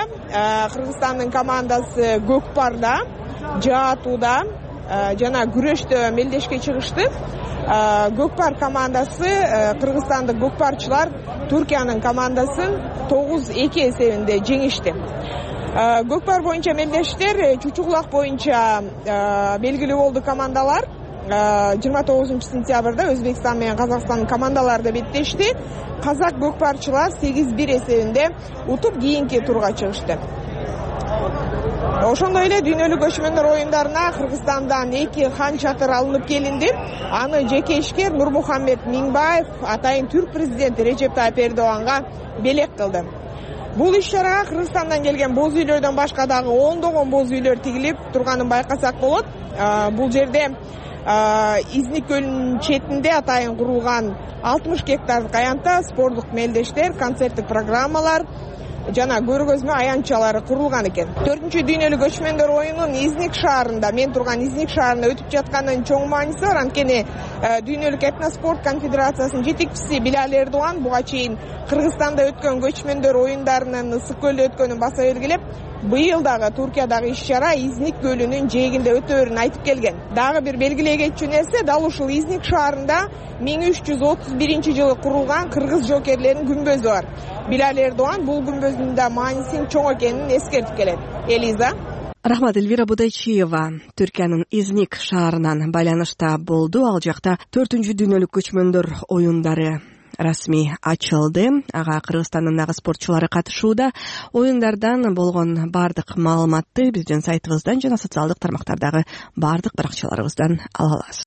Кыргызстандын командасы көкпарда, жаатууда жана күрөштө мелдешке чыгышты. Көкпар командасы, кыргызстандык көкпарчылар Түркиянын командасын 9-2 эсебинде жеңишти. Көкпар боюнча мелдештер чучугулак боюнча белгилүү болду командалар. 29 сентябрда Өзбекстан менен Казакстандын командалары да беттешти. Казак көкпарчылар 8-1 эсебинде утуп кийинки турга чыгышты. Ошондой эле дүйнөлүк көчмөндөр оюндарына Кыргызстандан 2 хан чатыр алынып келинди. Аны жеке ишкер Нурмухаммед Миңбаев атайын түрк президенти Режеп Тайып Эрдоганга белек кылды. Бул иш-чарага Кыргызстандан келген боз үйлөрдөн башка дагы ондогон боз үйлөр тигилип турганын байкасак болот. Бул жерде Изник көлүнүн четинде атайын курулган 60 гектардык аянтта спорттук мелдештер, концерттик программалар жана көргөзмө аянтчалары курулган экен. 4-чү дүйнөлүк көчмөндөр оюнунун Изник шаарында, мен турган Изник шаарында өтүп жатканынын чоң мааниси бар. Анткени дүйнөлүк этноспорт конфедерациясынын жетекчиси Билал Эрдоган буга чейин Кыргызстанда өткөн көчмөндөр оюндарынын Ысык көлдө өткөнүн баса белгилеп, быйыл дагы Туркиядагы иш-чара Изник көлүнүн жээгинде өтөөрүн айтып келген. Дагы бир белгилей кетчү нерсе, дал ушул Изник шаарында 1331-жылы курулган кыргыз жокерлеринин күмбөзү бар. Билал Эрдоган бул күмбөздүн да маанисинин чоң экенин эскертип келет. Элиза. Рахмат. Элвира Будайчиева Түркиянын Изник шаарынан байланышта болду. Ал жакта 4-чү дүйнөлүк көчмөндөр оюндары расмий ачылды. Ага Кыргызстандын нагыз спортчулары катышууда. Оюндардан болгон бардык маалыматты биздин сайтыбыздан жана социалдык тармактардагы бардык баракчаларыбыздан ала аласыз.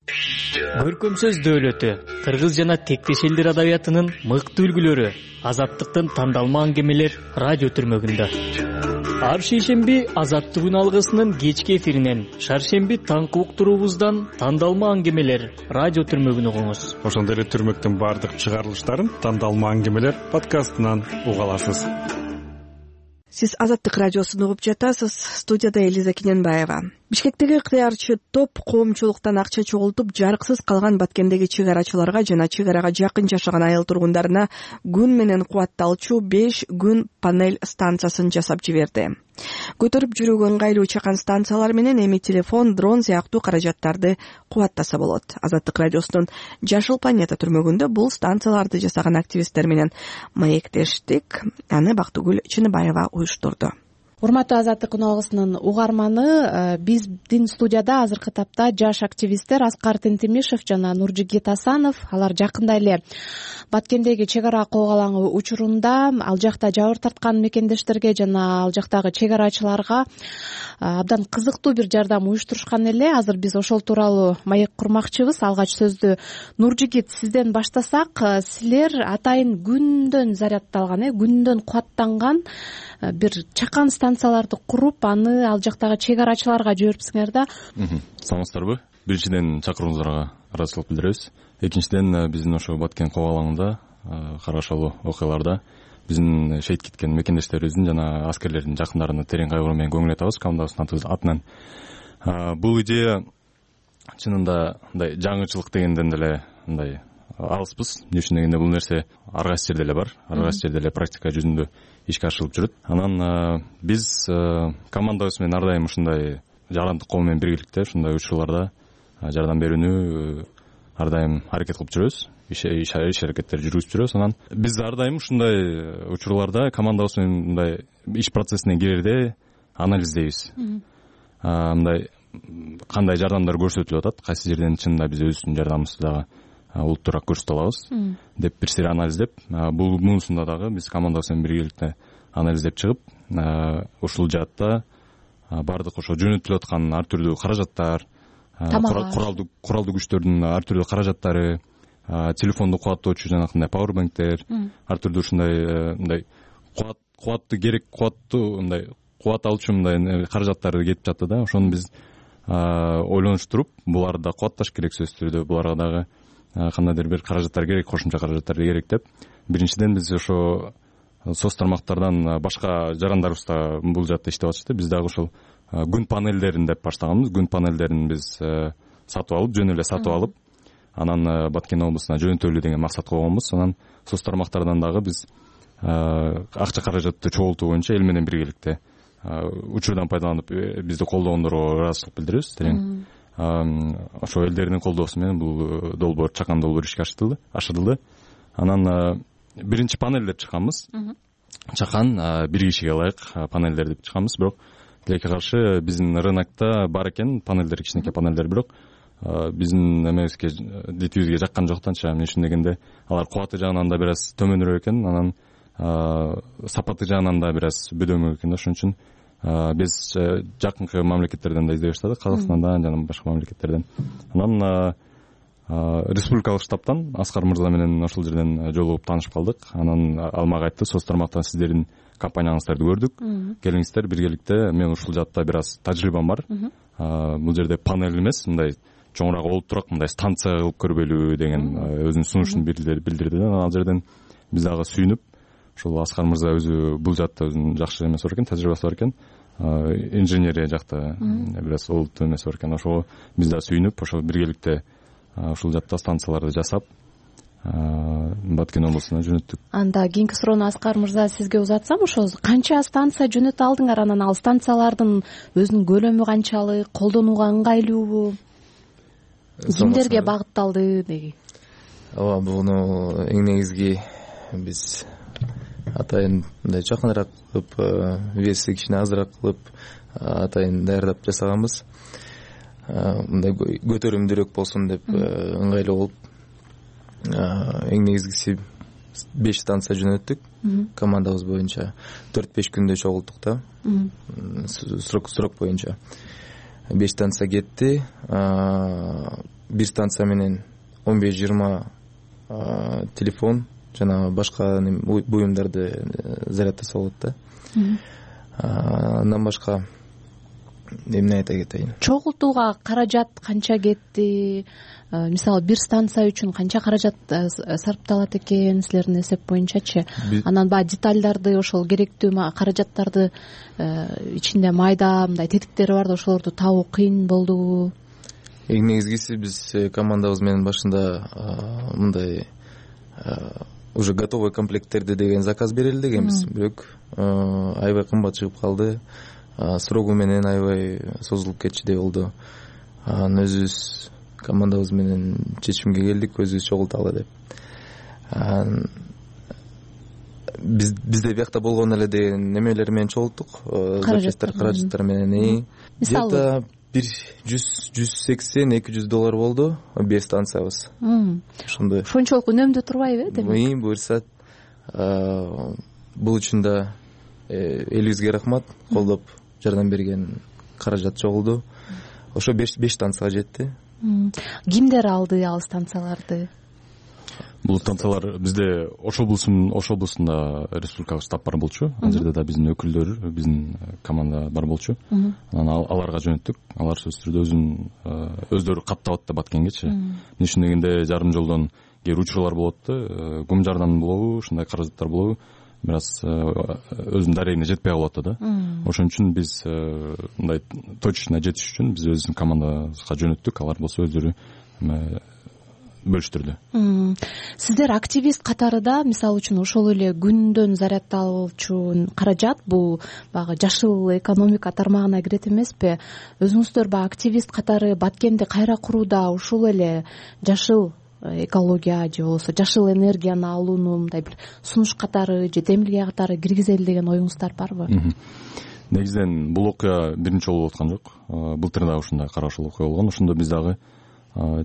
Көркөмсөз дөөлөтү, кыргыз жана тектеш элдер адабиятынын мыкты үлгүлөрү, азаттыктын тандалма аңгемелер радио түрмөгүндө. Ар шейшемби Азаттык алгысынын кечки эфиринен, шаршемби таңкы уктуруубуздан тандалма аңгемелер радио түрмөгүн угуңуз. Ошондой эле түрмөктүн бардык чыгарылыштарын тандалма аңгемелер подкастынан уга аласыз. Сиз Азаттык радиосун угуп жатасыз. Студияда Элиза Кененбаева. Бишкектеги ыктыярчы топ коомчулуктан акча чогултуп, жарыксыз калган Баткендеги чек арачыларга жана чек арага жакын жашаган айыл тургундарына күн менен кубатталчу 5 күн панель станциясын жасап жиберди. Көтөрүп жүрүүгө ыңгайлуу чакан станциялар менен эми телефон, дрон сыяктуу каражаттарды кубаттаса болот. Азаттык радиосунун Жашыл планета түрмөгүндө бул станцияларды жасаган активисттер менен маектештик. Аны Бактыгүл Чыныбаева уюштурду. Урматтуу Азаттык алгысынын угарманы, биздин студияда азыркы тапта жаш активисттер Аскар Тентимишев жана Нуржигит Асанов. Алар жакында эле Баткендеги чек ара коогалаңы учурунда ал жакта жабыр тарткан мекендештерге жана ал жактагы чек арачыларга абдан кызыктуу бир жардам уюштурушкан эле. Азыр биз ошол тууралуу маек курмакчыбыз. Алгач сөздү Нуржигит сизден баштасак, силер атайын күндөн зарядталган, күндөн кубаттанган бир чакан станцияларды куруп, аны ал жактагы чек арачыларга жиберипсиңер да. Саламатсыздарбы? Биринчиден чакырууңуздарга ыраазычылык билдиребиз. Экинчиден биздин ошо Баткен коогалаңында карашалуу окуяларда биздин шейит кеткен мекендештерибиздин жана аскерлердин жакындарына терең кайгыруу менен көңүл айтабыз командабыздын атынан. Бул идея чынында мындай жаңычылык дегенден деле мындай алыспыз. Эмне үчүн дегенде бул нерсе ар кайсы жерде эле бар, ар кайсы жерде эле практика жүзүндө ишке ашырылып жүрөт. Анан биз командабыз менен ар дайым ушундай жарандык ком менен биргеликте ушундай учурларда жардам берүүнү ар дайым аракет кылып жүрөбүз. Иш аракеттер жүргүзүп жүрөбүз. Анан биз ар дайым ушундай учурларда командабыз менен мындай иш процессине кирерде анализдейбиз. Мындай кандай жардамдар көрсөтүлүп атат, кайсы жерден чынында биз өзүбүздүн жардамыбызды дагы улуттуураак көрсөтө алабыз деп бир сири анализдеп, бул муусунда дагы биз командабыз менен биргеликте анализдеп чыгып, ушул жаатта бардык ошо жөнөтүлүп аткан ар түрдүү каражаттар, куралдуу күчтөрдүн ар түрдүү каражаттары, телефонду кубаттоочу жанакындай пауэрбанктер, ар түрдүү ушундай мындай кубатты керек, мындай кубат алчу мындай каражаттары кетип жатты да. Ошону биз ойлонуштуруп, буларды да кубатташ керек сөзсүз түрдө, буларга дагы кандайдыр бир каражаттар керек, кошумча каражаттар керек деп, биринчиден биз ошо соц тармактардан башка жарандарыбыз да бул жакта иштеп атышты. Биз дагы ушул күн панелдерин деп баштаганбыз. Күн панелдерин биз сатып алып, жөн эле сатып алып, анан Баткен облусуна жөнөтөлү деген максат койгонбуз. Анан соц тармактардан дагы биз акча каражатты чогултуу боюнча эл менен биргеликте учурдан пайдаланып бизди колдогондорго ыраазычылык билдиребиз. Терең ошо элдердин колдоосу менен бул долбоор, чакан долбоор ишке ашырылды. Анан биринчи панелдер чыкканбыз. Чакан бир кишиге ылайык панелдер деп чыкканбыз, бирок тилекке каршы биздин рынокто бар экен панелдер, кичинекей панелдер, бирок биздин эмебизге, дитибизге жаккан жок да. Анча эмне дегенде алар кубаты жагынан да бир аз төмөнүрөөк экен, анан сапаты жагынан да бир аз бөдөмөк экен да. Ошон үчүн биз жакынкы мамлекеттерден да издей баштадык, Казакстандан жана башка мамлекеттерден. Анан республикалык штабтан Аскар мырза менен ошол жерден жолугуп таанышып калдык. Анан ал мага айтты: соц тармактан сиздердин компанияңыздарды көрдүк, келиңиздер биргеликте, мен ушул жакта бир аз тажрыйбам бар, бул жерде панель эмес, мындай чоңураак олуттураак мындай станция кылып көрбөйлү деген өзүнүн сунушун билдирди. Ал жерден биз дагы сүйүнүп, ошол Аскар мырза өзү бул жакта өзүнүн жакшы эмеси бар экен, тажрыйбасы бар экен, инженерия жакта бир аз олуттуу эмеси бар экен. Ошого биз дагы сүйүнүп, ошол биргеликте ушул жакта станцияларды жасап Баткен облусуна жөнөттүк. Анда кийинки суроону Аскар мырза сизге узатсам, ошо канча станция жөнөтө алдыңар? Анан ал станциялардын өзүнүн көлөмү канчалык, колдонууга ыңгайлуубу, кимдерге багытталды деги? Ооба, буну эң негизги биз атайын мындай жакыныраак кылып, веси кичине азыраак кылып атайын даярдап жасаганбыз. Мындай көтөрүмдүүрөөк болсун деп ыңгайлуу болуп, эң негизгиси 5 станция жөнөттүк. Командабыз боюнча 4-5 күндө чогулттук да. Срок боюнча 5 станция кетти. Бир станция менен 15-20 телефон жана башка буюмдарды заряддаса болот да. Андан башка эмне айта кетейин? Чогултууга каражат канча кетти? Мисалы, бир станция үчүн канча каражат сарпталат экен силердин эсеп боюнчачы? Анан баягы детальдарды, ошол керектүү каражаттарды ичинде майда мындай тетиктери бар да, ошолорду табуу кыйын болдубу? Эң негизгиси биз командабыз менен башында мындай уже готовый комплекттерди деген заказ берели дегенбиз, бирок аябай кымбат чыгып калды. Срогу менен аябай созулуп кетчидей болду. Анан өзүбүз командабыз менен чечимге келдик, өзүбүз чогулталы деп. Бизде биякта болгон эле деген немелер менен чогулттук, каражаттар менен. Где-то $180-200 болду 5 станциябыз. Ошондой. Ошончолук үнөмдүү турбайбы, демек? Буюрса, бул үчүн да элибизге рахмат, колдоп жардам берген каражат чогулду. Ошо 5 станцияга жетти. Кимдер алды ал станцияларды? Бул станциялар бизде Ош облусунда республикалык штаб бар болчу. Ал жерде да биздин өкүлдөр, биздин команда бар болчу. Анан аларга жөнөттүк. Алар сөзсүз түрдө өздөрү каттап атты Баткенгечи. Эмне үчүн дегенде жарым жолдон кээ учурлар болот да, кум жардам болобу, ушундай каражаттар болобу, бир аз өзүнүн дарегине жетпей калып атты да. Ошон үчүн биз мындай точно жетиш үчүн биз өзүбүздүн командабызга жөнөттүк. Алар болсо өздөрү бөлүштүрдү. Сиздер активист катарында, мисалы үчүн, ошол эле күндөн заряддалуучу каражат бул баягы жашыл экономика тармагына кирет эмеспи? Өзүңүздөр баягы активист катары Баткенди кайра курууда ушул эле жашыл экология же болбосо жашыл энергияны алууну мындай бир сунуш катары же демилге катары киргизели деген оюңуздар барбы? Негизинен бул окуя биринчи жолу болуп аткан жок. Былтыр дагы ушундай карашыл окуя болгон. Ошондо биз дагы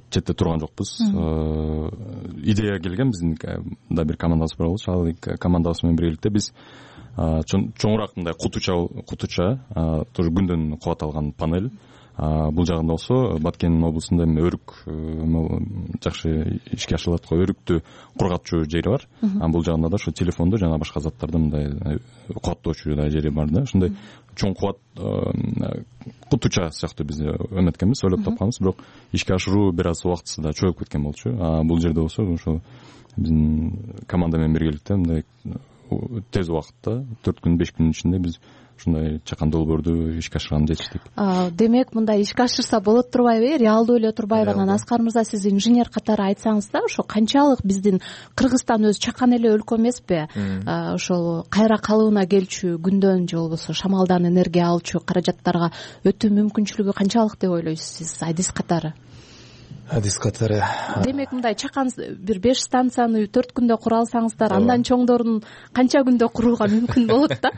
четте турган жокпуз. Идея келген, биздин да бир командабыз бар болчу. Ал командабыз менен биргеликте биз чоңураак мындай кутуча тоже күндөн кубат алган панель. Бул жагында болсо Баткен облусунда өрүк жакшы ишке ашырылат го, өрүктү кургатчу жери бар. Бул жагында да ошо телефонду жана башка заттарды мындай кубаттоочу да жери бар да. Ошондой чоң кубат кутуча сыяктуу биз эметкенбиз, ойлоп тапканбыз, бирок ишке ашыруу бир аз убактысы да чоюп кеткен болчу. Бул жерде болсо ошо биздин команда менен биргеликте мындай тез убакытта 4 күн 5 күнүн ичинде биз ушундай чакан долбоорду ишке ашырганды жетиштик. Демек мындай ишке ашырса болот турбайбы? Реалдуу эле турбайбы? Анан Аскар мырза, сиз инженер катары айтсаңыз да, ошо канчалык биздин Кыргызстан өзү чакан эле өлкө эмеспи? Ошол кайра калыбына келчү күндөн же болбосо шамалдан энергия алчу каражаттарга өтүү мүмкүнчүлүгү канчалык деп ойлойсуз сиз адис катары? Адис катары. Демек мындай чакан бир 5 станцияны 4 күндө кура алсаңыздар, андан чоңдорун канча күндө курууга мүмкүн болот да?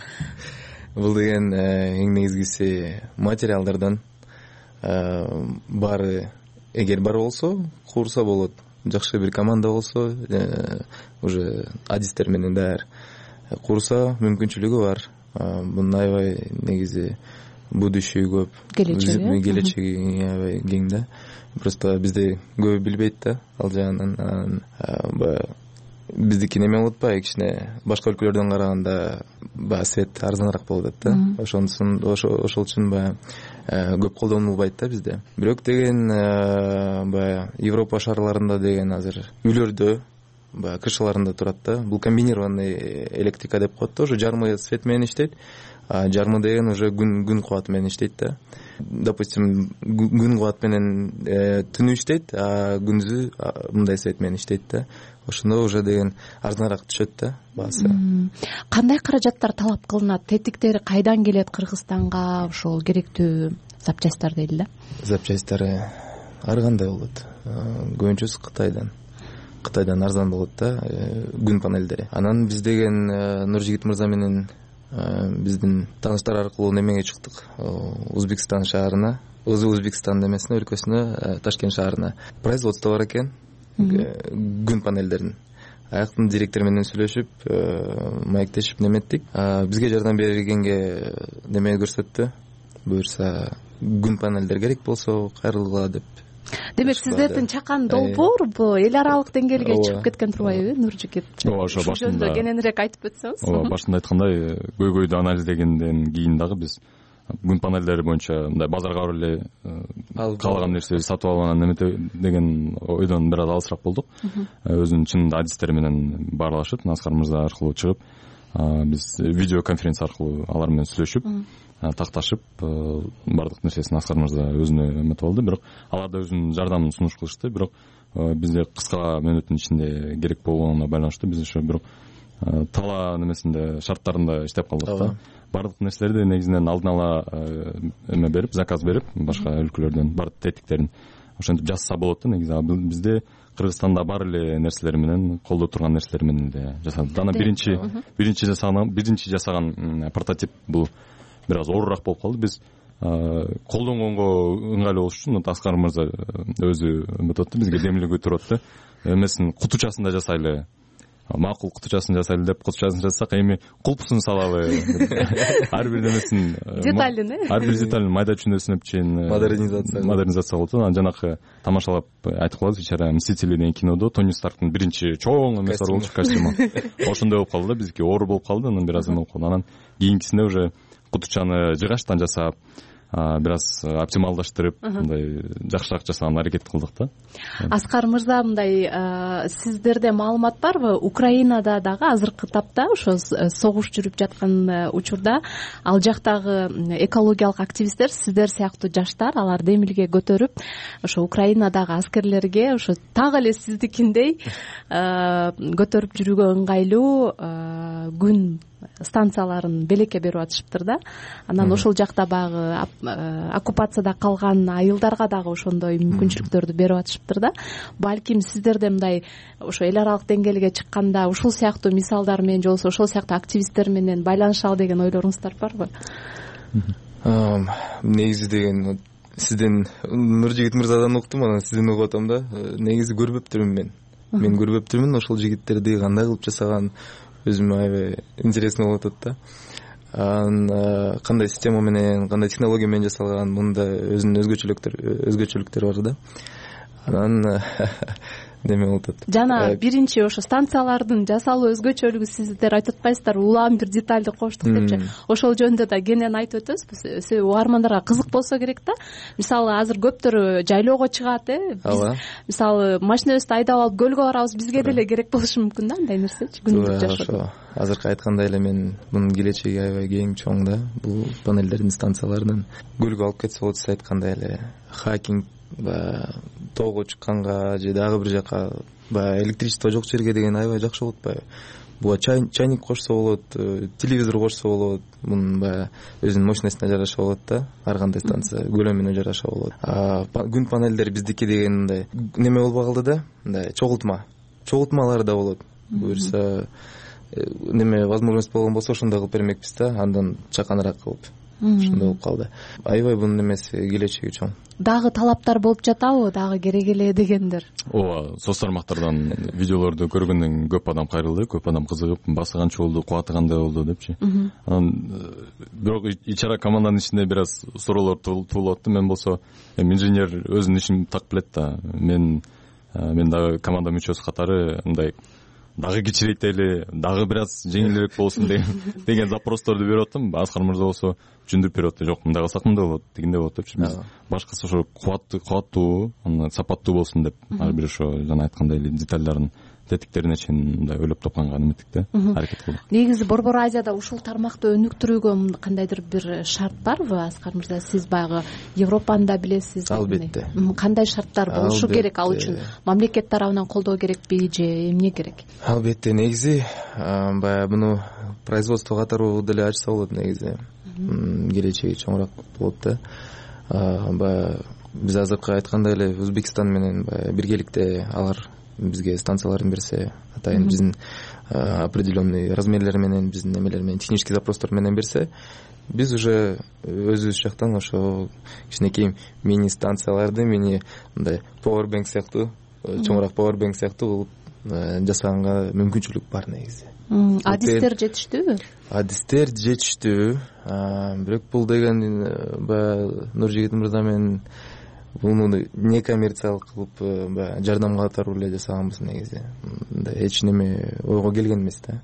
Бул деген эң негизгиси материалдардан баары, эгер бар болсо курса болот. Жакшы бир команда болсо, уже адистер менен даяр курса мүмкүнчүлүгү бар. Бунун аябай негизи будущий көп, келечеги аябай кең да. Просто бизде көбү билбейт да ал жагынан. Биздики неме болот баягы кичине башка өлкөлөрдөн караганда баягы свет арзаныраак болуп атат да. Ошол үчүн баягы көп колдонулбайт да бизде. Бирок деген баягы Европа шаарларында деген азыр үйлөрдө баягы крышаларында турат да. Бул комбинированный электрика деп коет да. Уже жармы свет менен иштейт. Жармы деген уже күн кубаты менен иштейт да. Допустим, күн кубат менен түнү иштейт, а күндүзү мындай свет менен иштейт да. Ошондо уже деген арзаныраак түшөт да баасы. Кандай каражаттар талап кылынат? Тетиктери кайдан келет Кыргызстанга ошол керектүү запчасттар дейли да? Запчасттары ар кандай болот. Көбүнчөсү Кытайдан арзан болот да, күн панелдери. Анан биз деген Нуржигит мырза менен биздин тааныштар аркылуу немеге чыктык. Өзбекстан шаарына, Өзбекстан эмесине, өлкөсүнө, Ташкент шаарына производство бар экен. Күн панелдерин. Аяктын директор менен сүйлөшүп, маектешип неметтик. Бизге жардам бергенге неме көрсөттү. Буюрса күн панелдер керек болсо кайрылгыла деп. Демек сиздердин чакан долбоор бул эл аралык деңгээлге чыгып кеткен турбайбы, Нуржигит? Ошо башында кененирээк айтып өтсөңүз. Ооба, башында айткандай, көйгөйдү анализдегенден кийин дагы биз күн панелдери боюнча мындай базарга барып эле каалаган нерсеби сатып алып анан неме деген ойдон бир аз алысыраак болдук. Өзүнүн чынында адистери менен баарлашып, Аскар мырза аркылуу чыгып, биз видео конференция аркылуу алар менен сүйлөшүп, такташып, баардык нерсесин Аскар мырза өзүнө эметип алды. Бирок алар да өзүнүн жардамын сунуш кылышты. Бирок бизде кыска мөөнөттүн ичинде керек болгонуна байланыштуу биз ошо бирок тала немесинде шарттарында иштеп калдык да. Баардык нерселерди негизинен алдын ала эме берип, заказ берип, башка өлкөлөрдөн бар тетиктерин ошентип жасаса болот да негизи. Бизде Кыргызстанда бар эле нерселер менен, колдо турган нерселер менен эле жасадык. Дана биринчи жасаган прототип бул бир аз оорураак болуп калды. Биз колдонгонго ыңгайлуу болуш үчүн Аскар мырза өзү эметип бизге демилгүү туруп атты. Эмесин кутучасын да жасайлы. Макул кутучасын жасайлы деп кутучасын жасасак, эми кулпусун салалы. Ар бир немесин деталин, ар бир деталин майда чүнөсүнөп чейин модернизация болот. Анан жанакы тамашалап айтып калабыз, ичара Мстители деген кинодо Тони Старктын биринчи чоң эмеси бар болчу костюму. Ошондой болуп калды да, биздики оору болуп калды, анан бир аз эме болуп калды. Анан кийинкисинде уже кутучаны жыгачтан жасап, бир аз оптималдаштырып, мындай жакшыраак жасаганга аракет кылдык да. Аскар мырза, мындай сиздерде маалымат барбы? Украинада дагы азыркы тапта ошо согуш жүрүп жаткан учурда ал жактагы экологиялык активисттер, сиздер сыяктуу жаштар, алар демилге көтөрүп, ошо Украинадагы аскерлерге ошо так эле сиздикиндей көтөрүп жүрүүгө ыңгайлуу күн станцияларын белекке берип атышыптыр да. Анан ошол жакта багы оккупацияда калган айылдарга дагы ошондой мүмкүнчүлүктөрдү берип атышыптыр да. Балким сиздерде мындай ошо эл аралык деңгээлге чыкканда ушул сыяктуу мисалдар менен же болбосо ошол сыяктуу активисттер менен байланышалы деген ойлоруңуздар барбы? Негизи деген сизден Нуржигит мырзадан уктум, анан сизден угуп атам да. Негизи көрбөптүрмүн мен. Мен көрбөптүрмүн ошол жигиттерди кандай кылып жасаган, өзүмө аябай интересно болуп атат да. Анан кандай система менен, кандай технология менен жасалган, мында өзүнүн өзгөчөлүктөрү бар да. Анан неме болуп атат. Жана биринчи ошо станциялардын жасалуу өзгөчөлүгү сиздер айтып атпайсыздарбы, улам бир детальды коштук депчи. Ошол жөнүндө да кенен айтып өтөбүз. Себеби угармандарга кызык болсо керек да. Мисалы азыр көптөр жайлоого чыгат, биз мисалы машинабызды айдап алып көлгө барабыз, бизге деле керек болушу мүмкүн да андай нерсечи күнүмдүк жашоодо. Азыркы айткандай эле мен мунун келечеги аябай кең, чоң да. Бул панелдердин станцияларынан көлгө алып кетсе болот, сиз айткандай эле хайкинг, баягы тоого чыкканга же дагы бир жака баягы электричество жок жерге деген аябай жакшы болот. Баягы буга чайник кошсо болот, телевизор кошсо болот. Мунун баягы өзүнүн мощностуна жараша болот да. Ар кандай станция көлөмүнө жараша болот. Күн панелдери биздики деген мындай неме болбой калды да. Мындай чогултмалар да болот. Буюрса неме возможность болгон болсо ошондой кылып бермекпиз да, андан чаканыраак кылып. Ошондой болуп калды. Аябай бунун эмеси келечеги чоң. Дагы талаптар болуп жатабы, дагы керек эле дегендер? Ооба, соц тармактардан видеолорду көргөндөн көп адам кайрылды, көп адам кызыгып, басы канча болду, кубаты кандай болду депчи. Анан бирок ичара команданын ичинде бир аз суроолор туулуп атты. Мен болсо инженер өзүнүн ишин так билет да. Мен дагы команда мүчөсү катары мындай дагы кичирейтели, дагы бир аз жеңилирээк болсун деген запросторду берип аттым. Аскар мырза болсо түшүндүрүп берип атты. Жок, мындай кылсак мындай болот, дегенде болот депчи. Биз башкысы ошо кубаттуу, сапаттуу болсун деп, ар бир ошо жана айткандай эле детальдарын, тетиктерине чейин мындай ойлоп тапканга неметтик да, аракет кылдык. Негизи Борбор Азияда ушул тармакты өнүктүрүүгө кандайдыр бир шарт барбы, Аскар мырза? Сиз баягы Европаны да билесиз. Албетте. Кандай шарттар болушу керек ал үчүн? Мамлекет тарабынан колдоо керекпи же эмне керек? Албетте, негизи баягы муну производство катары деле ачса болот негизи. Келечеги чоңураак болот да. Баягы биз азыркы айткандай эле Өзбекстан менен баягы биргеликте алар бизге станцияларын берсе, атайын биздин определенный размерлери менен, биздин немелер менен, технический запростор менен берсе, биз уже өзүбүз жактан ошо кичинекей мини станцияларды, мини мындай powerbank сыяктуу, чоңураак powerbank сыяктуу жасаганга мүмкүнчүлүк бар негизи. Адистер жетиштүүбү? Адистер жетиштүү. Бирок бул деген баягы Нуржигит мырза менен буну некоммерциялык кылып баягы жардамга катары эле жасаганбыз негизи. Мындай эч неме ойго келген эмес да.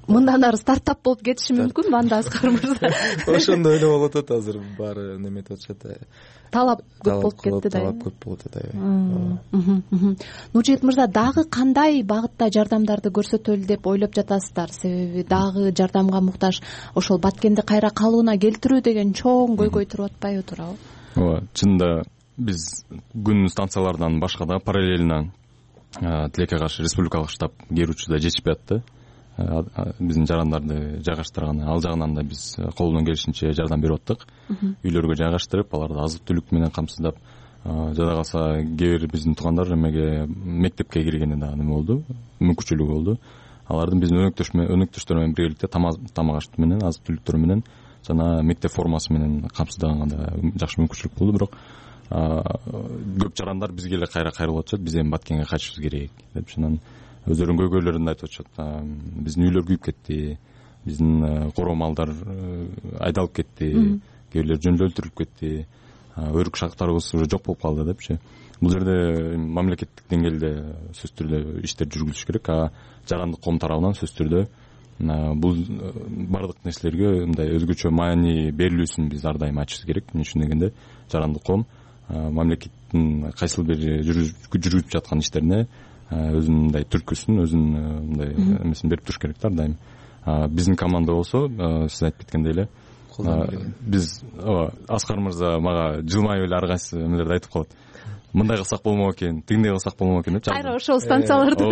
Мындан ары стартап болуп кетиши мүмкүн банда Аскар мырза. Ошондой эле болуп атат азыр, баары неметип атышат. Талап көп болуп кетти да. Талап көп болуп атат. Нуржигит мырза, дагы кандай багытта жардамдарды көрсөтөлү деп ойлоп жатасыздар? Себеби дагы жардамга муктаж ошол Баткенди кайра калыбына келтирүү деген чоң көйгөй туруп атпайбы, туурабы? Ооба, чынында биз күн станцияларынан башка да параллельно тилекке каршы республикалык штаб керүүчү да жетишпей атты. Биздин жарандарды жайгаштырганы, ал жагынан да биз колунан келишинче жардам берип аттык. Үйлөргө жайгаштырып, аларды азык түлүк менен камсыздап, жада калса кээ бир биздин туугандар эмеге мектепке киргени да неме болду, мүмкүнчүлүгү болду. Алардын биздин өнөктөштөр менен биргеликте тамак аш менен, азык түлүктөр менен жана мектеп формасы менен камсыздаганга да жакшы мүмкүнчүлүк болду. Бирок көп жарандар бизге эле кайра кайрылып атышат. Биз эми Баткенге кайтышыбыз керек деп, анан өздөрүнүн көйгөйлөрүн айтып атышат. Биздин үйлөр күйүп кетти, биздин короо малдар айдалып кетти, кээ бирлер жөндөөлүп өлтүрүлүп кетти, өрүк шактарыбыз уже жок болуп калды депчи. Бул жерде мамлекеттик деңгээлде сөзсүз түрдө иштер жүргүзүлүш керек. Жарандык коом тарабынан сөзсүз түрдө бул бардык нерселерге мындай өзгөчө маани берилүүсүн биз ар дайым айтышыбыз керек. Эмне үчүн дегенде, жарандык коом мамлекеттин кайсыл бир жүргүзүп жаткан иштерине өзүнүн мындай түрткүсүн, өзүнүн мындай эмесин берип туруш керек да ар дайым. Биздин команда болсо, сиз айтып кеткендей эле, биз Аскар мырза мага жылмайып эле ар кайсы эмелерди айтып калат. Мындай кылсак болмок экен, тигиндей кылсак болмок экен деп. Кайра ошол станцияларды.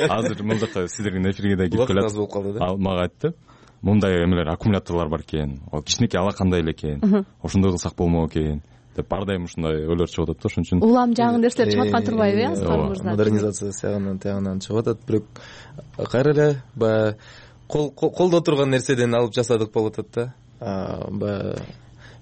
Азыр мына жака сиздердин эфирге да кирип келет. Аз болуп калды да. Ал мага айтты. Мындай эмелер, аккумуляторлор бар экен. Ал кичинекей алакандай эле экен. Ошондой кылсак болмок экен деп ар дайым ушундай ойлор чыгып атат да. Ошон үчүн улам жаңы нерселер чыгып аткан турбайбы, Аскар мырза? Модернизация тиягынан чыгып атат. Бирок кайра эле баягы колдо турган нерседен алып жасадык болуп атат да. Баягы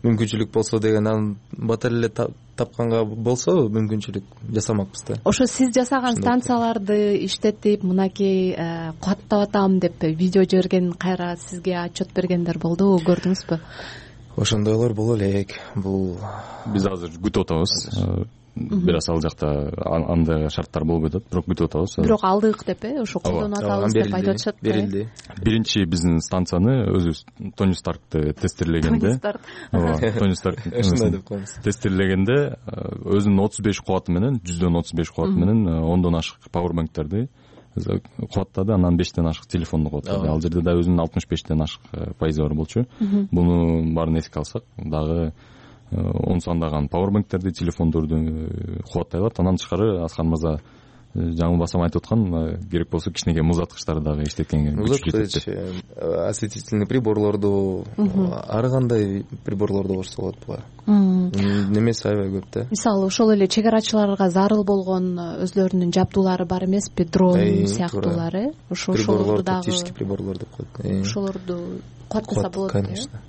мүмкүнчүлүк болсо деген, анын бата эле тапканга болсо мүмкүнчүлүк жасамакпыз да. Ошо сиз жасаган станцияларды иштетип, мынакей кубаттап атам деп видео жиберген, кайра сизге отчет бергендер болдубу, көрдүңүзбү? Ошондойлор боло элек. Бул биз азыр күтүп атабыз. бир аз ал жакта андай шарттар болбой атат, бирок күтүп атабыз. Бирок алдык деп ошо колдонуп атабыз деп айтып атышат. Берилди. Биринчи биздин станцияны өзүбүз Тони Старкты тестирлегенде, Тони Старк тестирлегенде өзүнүн 35 кубаты менен, 135 кубаты менен 10дон ашык пауэрбанктерди кубаттады, анан 5ден ашык телефонду кубаттады. Ал жерде да өзүнүн 65ден ашык пайызы бар болчу. Буну баарын эске алсак, дагы 10 сандаган пауэрбанктерди, телефондорду кубаттай алат. Анан тышкары Аскар мырза жаңылбасам айтып аткан, керек болсо кичинекей музаткычтарды дагы иштеткенге музаткыч, осветительный приборлорду, ар кандай приборлорду кошсо болот буга. Немеси аябай көп да. Мисалы ошол эле чек арачыларга зарыл болгон өзлөрүнүн жабдуулары бар эмеспи, дрон сыяктуулар, ошолорду дагы тактический приборлор деп коет. Ошолорду кубаттаса болот, конечно.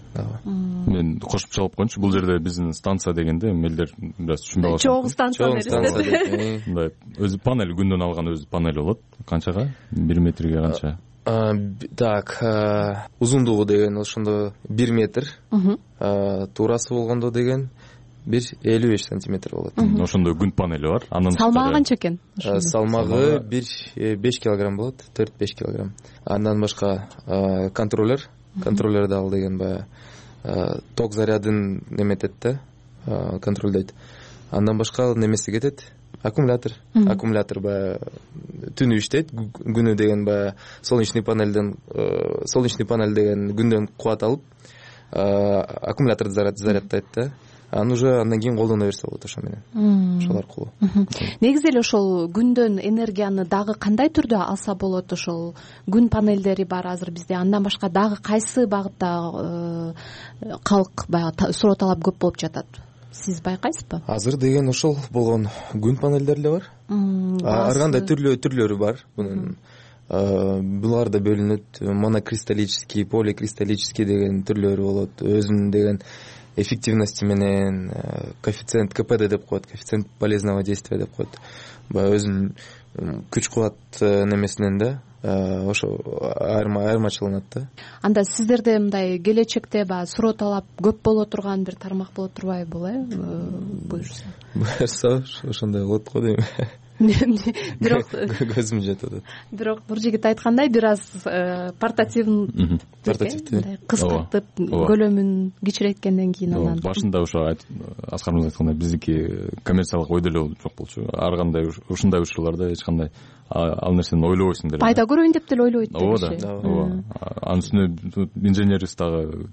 Мен кошумчалап коеюнчу, бул жерде биздин станция дегенде элдер бир аз түшүнбөй калышат. Чоң станция мындай өзү панель, күндөн алган өзү панель болот. Канчага? 1 метрге канча? Так, узундугу деген ошондо 1 метр, туурасы болгондо деген 1,55 сантиметр болот. Ошондой күн панели бар. Анын салмагы канча экен? Салмагы 5 килограмм болот, 4-5 килограмм. Андан башка контроллер дагы деген баягы ток зарядын неметет да, контролдойт. Андан башка немеси кетет, аккумулятор баягы түнү иштейт, күнү деген баягы солнечный панель деген күндөн кубат алып, аккумуляторду зарядтайт да. Андан кийин колдоно берсе болот ошо менен. Ошол аркылуу. Негизи эле ошол күндөн энергияны дагы кандай түрдө алса болот? Ошол күн панелдери бар азыр бизде. Андан башка дагы кайсы багытта калк баягы суроо талап көп болуп жатат? Сиз байкайсызбы? Азыр деген ошол болгон күн панелдери эле бар. Ар кандай түрлөрү бар бунун. Булар да бөлүнөт. Монокристаллический, поликристаллический деген түрлөрү болот. Өзүнүн деген эффективности менен, коэффициент КПД деп коет, коэффициент полезного действия деп коет. Баягы өзүнүн күч кубат немесинен да ошо айырмачыланат да. Анда сиздерде мындай келечекте баягы суроо талап көп боло турган бир тармак боло турбайбы, буюрса ошондой болот го дейм. Бирок көзүм жетип атат. Бирок бир жигит айткандай, бир аз портативный кыскартып, көлөмүн кичирейткенден кийин анан башында ошо Аскар мырза айткандай биздики коммерциялык ой деле жок болчу. Ар кандай ушундай учурларда эч кандай ал нерсени ойлобойсуң деле. Пайда көрөйүн деп деле ойлойт киши. Ооба. Анын үстүнө инженерибиз дагы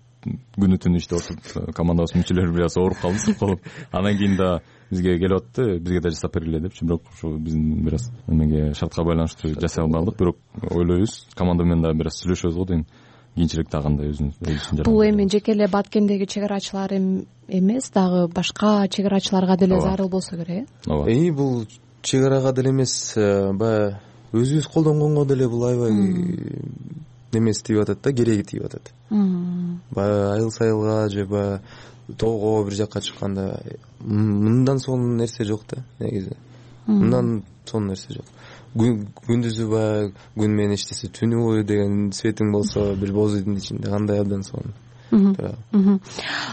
күнү түнү иштеп атып, командабыз мүчөлөрү бир аз ооруп калып, анан кийин да бизге келип атты, бизге да жасап бергиле депчи, бирок ошо биздин бир аз эмеге шартка байланыштуу жасай албадык, бирок ойлойбуз, команда менен дагы бир аз сүйлөшөбүз го дейм. Кийинчерээк дагы кандай өзүнүн. Бул эми жеке эле Баткендеги чек арачылар эмес, дагы башка чек арачыларга деле зарыл болсо керек, э? Бул чек арага деле эмес, баягы өзүбүз колдонгонго деле бул аябай немеси тийип атат да, кереги тийип атат. Баягы айыл сайылга же баягы тоого бир жакка чыкканда мындан сонун нерсе жок да, негизи. Мындан сонун нерсе жок. Күндүзү баягы күн менен иштесе, түнү бою деген светиң болсо, бир боз үйдүн ичинде кандай абдан сонун.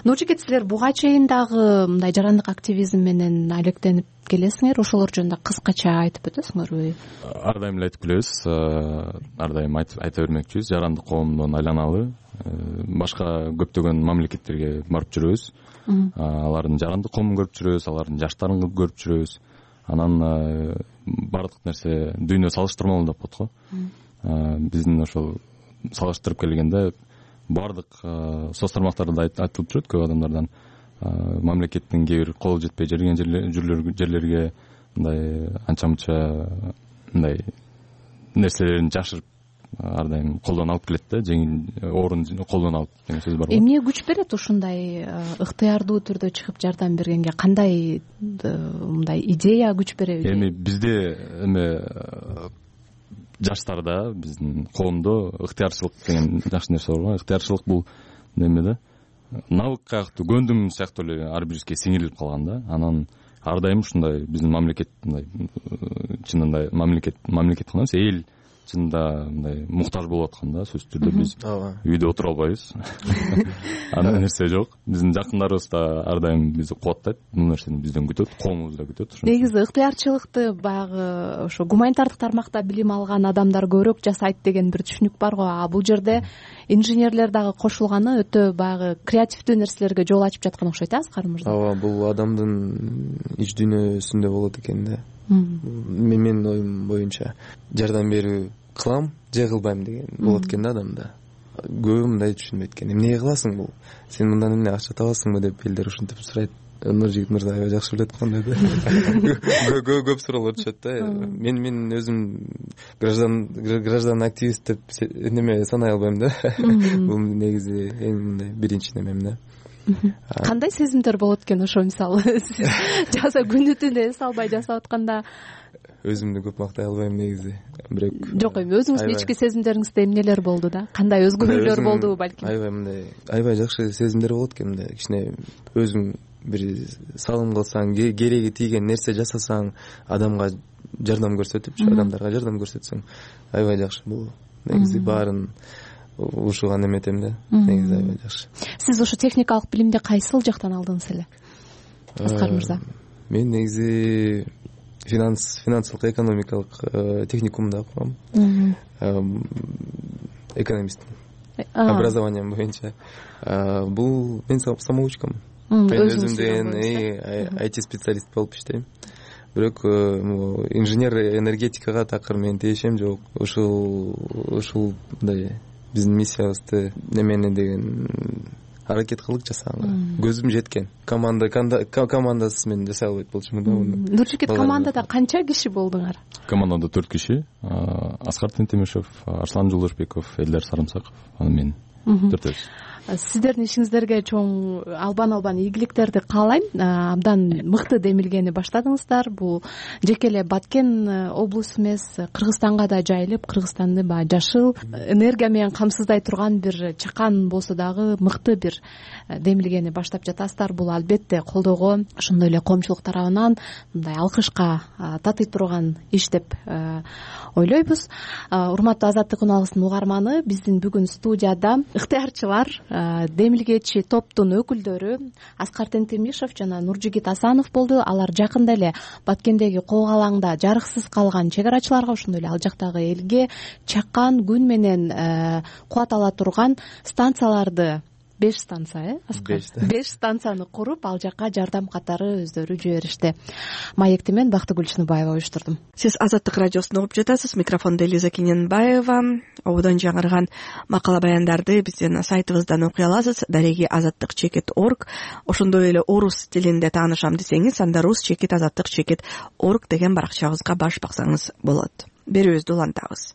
Нуржигит, силер буга чейин дагы мындай жарандык активизм менен алектенип келесиңер, ошолор жөнүндө кыскача айтып өтөсүңөрбү? Ар дайым эле айтып келебиз, ар дайым айта бермекчибиз, жарандык коомдон айланалы башка көптөгөн мамлекеттерге барып жүрөбүз. Алардын жарандык коомун көрүп жүрөбүз, алардын жаштарын көрүп жүрөбүз. Анан бардык нерсе дүйнө салыштырмалуу деп коет го. Биздин ошол салыштырып келгенде бардык соц тармактарда айтылып жүрөт көп адамдардан. Мамлекеттин кээ бир кол жетпей жүргөн жерлерге мындай анча-мынча мындай нерселерин жашырып ар дайым колдон алып келет да, жеңил орун колдон алып деген сөз бар го. Эмне күч берет ушундай ыктыярдуу түрдө чыгып жардам бергенге? Кандай мындай идея күч береби? Эми бизде жаштарда, биздин коомдо ыктыярчылык деген жакшы нерсе бар го. Ыктыярчылык бул неме да, навык каяктуу, көндүм сыяктуу эле ар бирибизге сиңирилип калган да. Анан ар дайым ушундай биздин мамлекет мындай чынында мамлекет кылабыз, эл чынында мындай муктаж болуп аткан да, сөзсүз түрдө биз үйдө отура албайбыз. Андай нерсе жок. Биздин жакындарыбыз да ар дайым бизди кубаттайт, бул нерсени бизден күтөт, коомубуз да күтөт. Негизи ыктыярчылыкты баягы ошо гуманитардык тармакта билим алган адамдар көбүрөөк жасайт деген бир түшүнүк бар го. А бул жерде инженерлер дагы кошулганы өтө баягы креативдүү нерселерге жол ачып жаткан окшойт, Аскар мырза. Ооба, бул адамдын ич дүйнөсүндө болот экен да. Менин оюм боюнча жардам берүү кылам же кылбайм деген болот экен да адамда. Көбү мындай түшүнбөйт экен. Эмне кыласың бул? Сен мындан эмне акча табасыңбы деп элдер ушинтип сурайт. Нуржигит мырза аябай жакшы билет кандай да. Көп суроолор түшөт да. Мен өзүм граждан активист деп неме санай албайм да. Бул негизи эң мындай биринчи немем да. Кандай сезимдер болот экен ошо, мисалы жаса күнү түнү эс албай жасап атканда? Өзүмдү көп мактай албайм негизи. Бирок жок, эми өзүңүздүн ички сезимдериңизде эмнелер болду да? Кандай өзгөрүүлөр болду балким? Аябай мындай аябай жакшы сезимдер болот экен. Мындай кичине өзүң бир салым кылсаң, кереги тийген нерсе жасасаң, адамга жардам көрсөтүпчү, адамдарга жардам көрсөтсөң аябай жакшы. Бул негизи баарын ушуга эметем да. Негизи аябай жакшы. Сиз ошо техникалык билимди кайсыл жактан алдыңыз эле, Аскар мырза? Мен негизи финансылык экономикалык техникумда окугам. Экономист образованием боюнча. Бул мен самоучкам. Мен өзүмдөн IT специалист болуп иштейм. Бирок инженер энергетикага такыр мен тиешем жок. Ушул мындай биздин миссиябызды немени деген аракет кылдык жасаганга. Көзүм жеткен. Командасыз мен жасай албайт болчумун да муну. Нуржигит, командада канча киши болдуңар? Командада 4 киши. Аскар Тентемишев, Арслан Жолдошбеков, Элдер Сарымсаков, анан мен. 4-өбүз. Сиздердин ишиңиздерге чоң албан ийгиликтерди каалайм. Абдан мыкты демилгени баштадыңыздар. Бул жеке эле Баткен облусу эмес, Кыргызстанга да жайылып, Кыргызстанды баягы жашыл энергия менен камсыздай турган бир чакан болсо дагы мыкты бир демилгени баштап жатасыздар. Бул албетте колдоого, ошондой эле коомчулук тарабынан мындай алкышка татый турган иш деп ойлойбуз. Урматтуу Азаттык үн угарманы, биздин бүгүн студияда ыктыярчылар, демилгечи топтун өкүлдөрү Аскар Тентемишев жана Нуржигит Асанов болду. Алар жакында эле Баткендеги кок алаңда жарыксыз калган чек арачыларга, ошондой эле ал жактагы элге чакан күн менен кубат ала турган станцияларды 5 станция, Аскар? 5 станцияны куруп, ал жакка жардам катары өздөрү жиберишти. Маекти мен Бактыгүл Чыныбаева уюштурдум. Сиз Азаттык радиосун угуп жатасыз. Микрофондо Элиза Кененбаева. Ободон жаңырган макала баяндарды биздин сайтыбыздан окуй аласыз. Дареги azattik.org. Ошондой эле орус тилинде таанышам десеңиз, анда rus-azattik.org деген баракчабызга баш баксаңыз болот. Берүүбүздү улантабыз.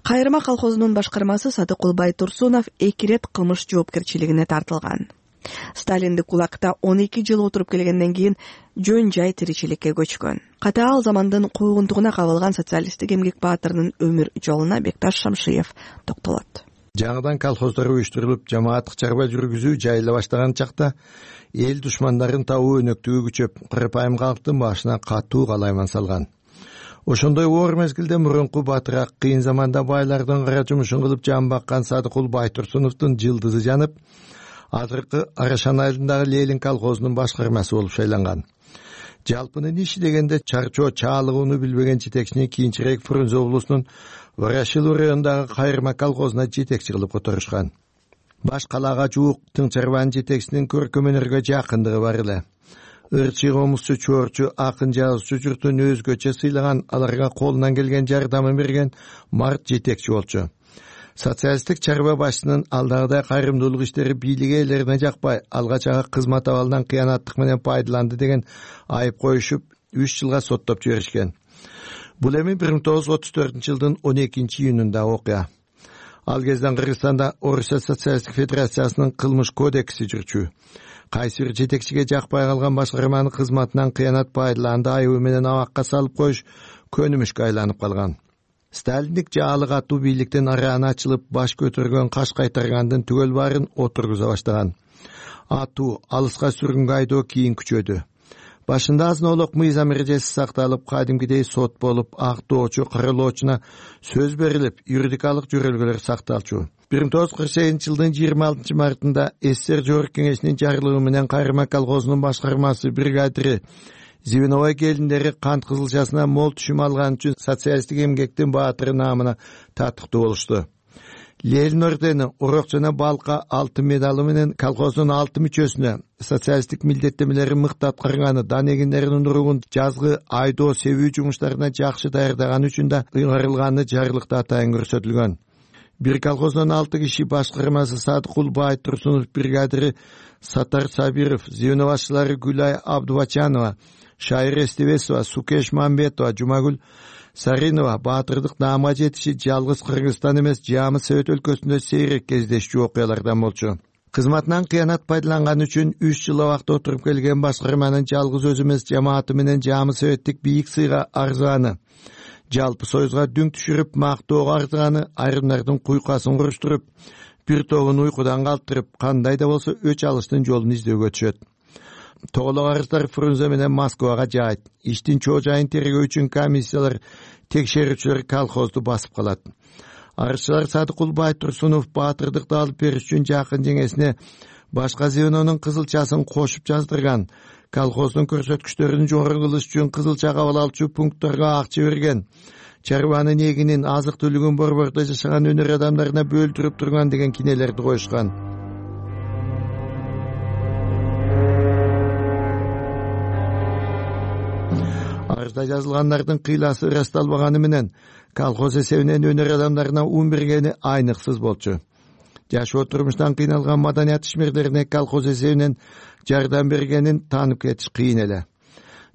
Кайрыма колхозунун башкармасы Садыкулбай Турсунов 2 ирет кылмыш жоопкерчилигине тартылган. Сталиндик кулакта 12 жыл отуруп келгенден кийин жөн жай тиричиликке көчкөн. Катаал замандын куугунтугуна кабылган социалисттик эмгек баатырынын өмүр жолуна Бекташ Шамшиев токтолот. Жаңыдан колхоздор уюштурулуп, жамааттык чарба жүргүзүү жайыла баштаган чакта эл душмандарын табуу өнөктүгү күчөп, кырпайым калктын башына катуу калайман салган. Ошондой оор мезгилде мурунку батыраак кыйын заманда байлардын кара жумушун кылып жан баккан Садыкулбай Турсуновдун жылдызы жанып, азыркы Арашан айылындагы Ленин колхозунун башкармасы болуп шайланган. Жалпынын иши дегенде чарчоо чаалыгууну билбеген жетекчини кийинчерээк Фрунзе облусунун Ворошилов районундагы Кайрыма колхозуна жетекчи кылып которушкан. Баш калаага жуук тың чарбанын жетекчисинин көркөм өнөргө жакындыгы бар эле. Ырчы, комузчу, чорчу, акын жазуучу журтун өзгөчө сыйлаган, аларга колунан келген жардамын берген март жетекчи болчу. Социалисттик чарба башчынын алдагыдай кайрымдуулук иштери бийлик ээлерине жакпай, алгачагы кызмат абалынан кыянаттык менен пайдаланды деген айып коюшуп, 3 жылга соттоп жиберишкен. Бул эми 1934-жылдын 12-июнунда окуя. Ал кезден Кыргызстанда Орусия социалисттик федерациясынын кылмыш кодекси жүрчү. Кайсы бир жетекчиге жакпай калган башкарманын кызматынан кыянат пайдаланды айыбы менен абакка салып коюш көнүмүшкө айланып калган. Сталиндик жаалык аттуу бийликтен арааны ачылып, баш көтөргөн каш кайтаргандын түгөл баарын отургуза баштаган. Аттуу алыска сүргүнгө айдоо кийин күчөдү. Башында азынолук мыйзам эрежеси сакталып, кадимгидей сот болуп, актоочу, каралоочуна сөз берилип, юридикалык жөрөлгөлөр сакталчу. 1948-жылдын 26 мартында СССР Жогорку Кеңешинин жарлыгы менен Кайрма колхозунун башкармасы бригадири Звеновой келиндери кант кызылчасына мол түшүм алган үчүн социалисттик эмгектин баатыры наамына татыктуу болушту. Ленин ордени, урок жана балка алтын медалы менен колхоздун 6 мүчөсүнө социалисттик милдеттемелерин мыкты аткарганы, дан эгиндеринин уругун жазгы айдоо себүү жумуштарына жакшы даярдаганы үчүн да ыйгарылганы жарлыкта атайын көрсөтүлгөн. Бир колхоздон 6 киши башкармасы Садыкул Байтурсунов, бригадири Сатар Сабиров, звено башчылары Гүлай Абдубачанова, Шайыр Эстебесова, Сукеш Мамбетова, Жумагүл Саринова баатырдык наамга жетиши жалгыз Кыргызстан эмес, Жамы Совет өлкөсүндө сейрек кездешчү окуялардан болчу. Кызматынан кыянат пайдаланган үчүн 3 жыл абакта отуруп келген башкарманын жалгыз өзү эмес, жамааты менен Жамы Советтик бийик сыйга арзыганы, жалпы союзга дүң түшүрүп мактоого арзыганы, айрымдардын куйкасын куруштуруп, бир тобун уйкудан калтырып, кандай да болсо өч алыштын жолун издөөгө түшөт. Тоголок арыздар Фрунзе менен Москвага жаайт. Иштин чоо жайын тергөө үчүн комиссиялар, текшерүүчүлөр колхозду басып калат. Арызчылар Садыкул Байтурсунов баатырдыкты алып бериш үчүн жакын жеңесине башка звенонун кызылчасын кошуп жаздырган, колхоздун көрсөткүчтөрүн жогору кылыш үчүн кызылча кабыл алчу пунктторго акча берген, чарбанын эгинин, азык-түлүгүн борбордо жашаган өнөр адамдарына бөлдүрүп турган деген кинелерди коюшкан. Арызда жазылгандардын кыйласы ырасталбаганы менен колхоз эсебинен өнөр адамдарына ун бергени айныксыз болчу. Жашоо турмуштан кыйналган маданият ишмерлерине колхоз эсебинен жардам бергенин таанып кетиш кыйын эле.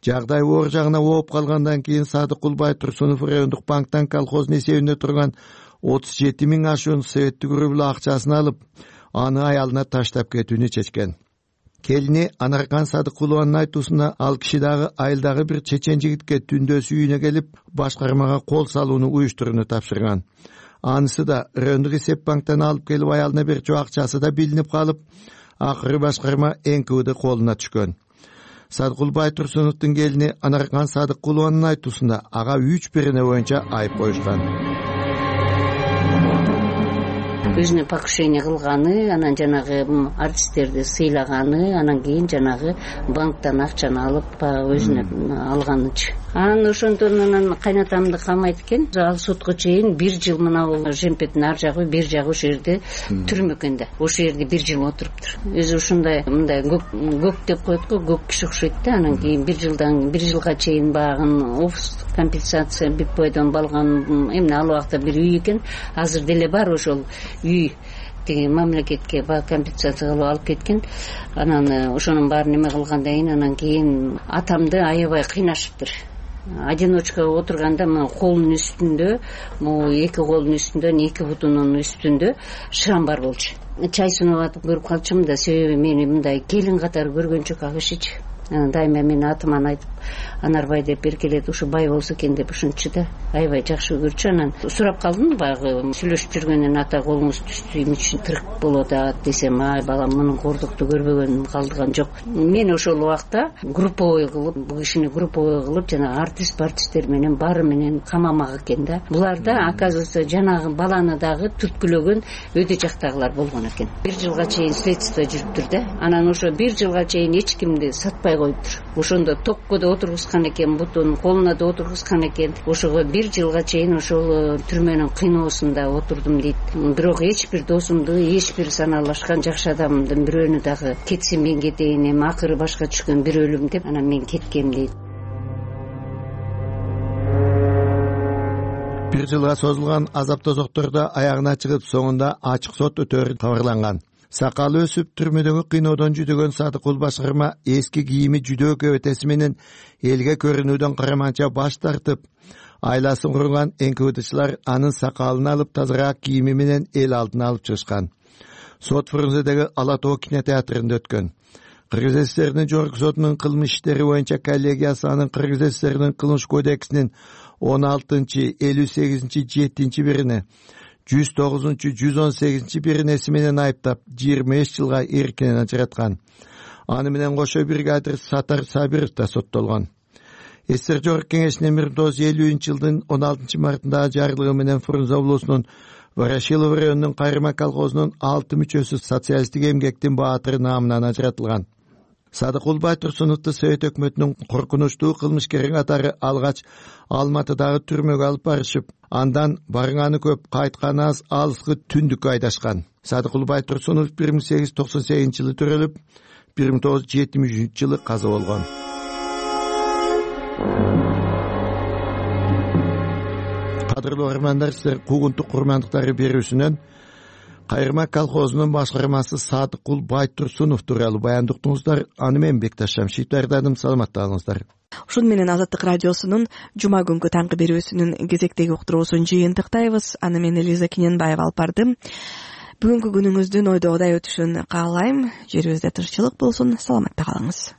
Жагдай оор жагына ооп калгандан кийин Садыкул Байтурсунов райондук банктан колхоздун эсебинде турган 37 000 ашуун советтик рубль акчасын алып, аны аялына таштап кетүүнү чечкен. Келини Анаркан Садыкулованын айтуусунда ал киши дагы айылдагы бир чечен жигитке түндөсү үйүнө келип, башкармага кол салууну уюштурууну тапшырган. Анысы да райондук эсеп банктан алып келип аялына берчү акчасы да билинип калып, акыры башкарма НКВД колуна түшкөн. Садыкул Байтурсуновдун келини Анаркан Садыкулованын айтуусунда ага 3 берене боюнча айып коюшкан. Өзүнө покушение кылганы, анан жанагы артисттерди сыйлаганы, анан кийин жанагы банктан акчаны алып өзүнө алганычы. Анан ошондон анан кайнатамды камайт экен. Ал сотко чейин 1 жыл мына жемпеттин ар жагы, бир жагы ошол жерде түрмө экен да. Ошол жерде 1 жыл отуруптур. Өзү ушундай мындай көк деп коет го, көк киши окшойт да. Анан кийин 1 жылга чейин багын офис компенсация Битбойдон балган, эмне ал убакта бир үй экен. Азыр деле бар ошол үй. Тиги мамлекетке компенсация кылып алып кеткен. Анан ошонун баарын эме кылгандан кийин анан кийин атамды аябай кыйнашыптыр. Одиночка отурганда мына колунун үстүндө, могу 2 колунун үстүндө, 2 бутунун үстүндө шрам бар болчу. Чай сунуп атып көрүп калчумун да, себеби мени мындай келин катары көргөн жок ал кишичи. Дайыма мени атыман айтып, Анарбай деп эркелет, ушу бай болсо экен деп ушунчу да, аябай жакшы көрчү. Анан сурап калдым, баягы сүйлөшүп жүргөндөн ата колуңуз түштү, эмне үчүн тырк болуп атат десем, ай балам мунун кордукту көрбөгөнүм калдыган жок. Мен ошол убакта групповой кылып, бул кишини групповой кылып, жана артисттер менен баары менен камамак экен да. Буларда оказывается жанагы баланы дагы түрткүлөгөн өйдө жактагылар болгон экен. 1 жылга чейин следствие жүрүптүр да. Анан ошо 1 жылга чейин эч кимди сатпай коюптур. Ошондо токко да отургузган экен, бутун колуна да отургузган экен. Ошого 1 жылга чейин ошол түрмөнүн кыйноосунда отурдум дейт. Бирок эч бир досумду, эч бир санаалашкан жакшы адамдын бирөөнү дагы кетсин мен кетейин, эми акыры башка түшкөн бир өлүм деп анан мен кеткем дейт. 1 жылга созулган азап тозоктордо аягына чыгып, соңунда ачык сот өтөөрү кабарланган. Сакалы өсүп түрмөдөгү кыйноодон жүдөгөн Садыкул башкарма эски кийими жүдөө көбөтеси менен элге көрүнүүдөн караманча баш тартып, айласын курган НКВДчылар анын сакалын алып, тазараак кийими менен эл алдына алып чыгышкан. Сот Фрунзедеги Ала Тоо кинотеатрында өткөн. Кыргыз ССРнин жогорку сотунун кылмыш иштери боюнча коллегиясы анын Кыргыз ССРнин кылмыш кодексинин 16-58-7 бирине 109-118 биринеси менен айыптап 25 жылга эркинен ажыраткан. Аны менен кошо бригадир Сатар Сабиров да соттолгон. СССР Жогорку Кеңешинин 1950-жылдын 16 мартындагы жарлыгы менен Фрунзе облусунун Ворошилов районунун Кайрма колхозунун 6 мүчөсү социалисттик эмгектин баатыры наамынан ажыратылган. Садыкул Байтурсуновду Совет өкмөтүнүн коркунучтуу кылмышкери катары алгач Алматыдагы түрмөгө алып барышып, андан барганы көп, кайтканы аз алыскы түндүккө айдашкан. Садыкул Байтурсунов 1898-жылы төрөлүп, 1973-жылы каза болгон. Кадырлуу армандар, силер куугунтук курмандыктары берүүсүнөн Кайрма колхозунун башкармасы Садыкул Байтурсунов тууралуу баяндыктыңыздар. Аны мен Бекташ Шамшиев даярдадым. Саламатта калыңыздар. Ушун менен Азаттык радиосунун жума күнкү таңкы берүүсүнүн кезектеги уктуруусун жыйынтыктайбыз. Аны мен Элиза Кененбаева алып бардым. Бүгүнкү күнүңүздүн ойдогудай өтүшүн каалайм. Жерибизде тынччылык болсун. Саламатта калыңыз.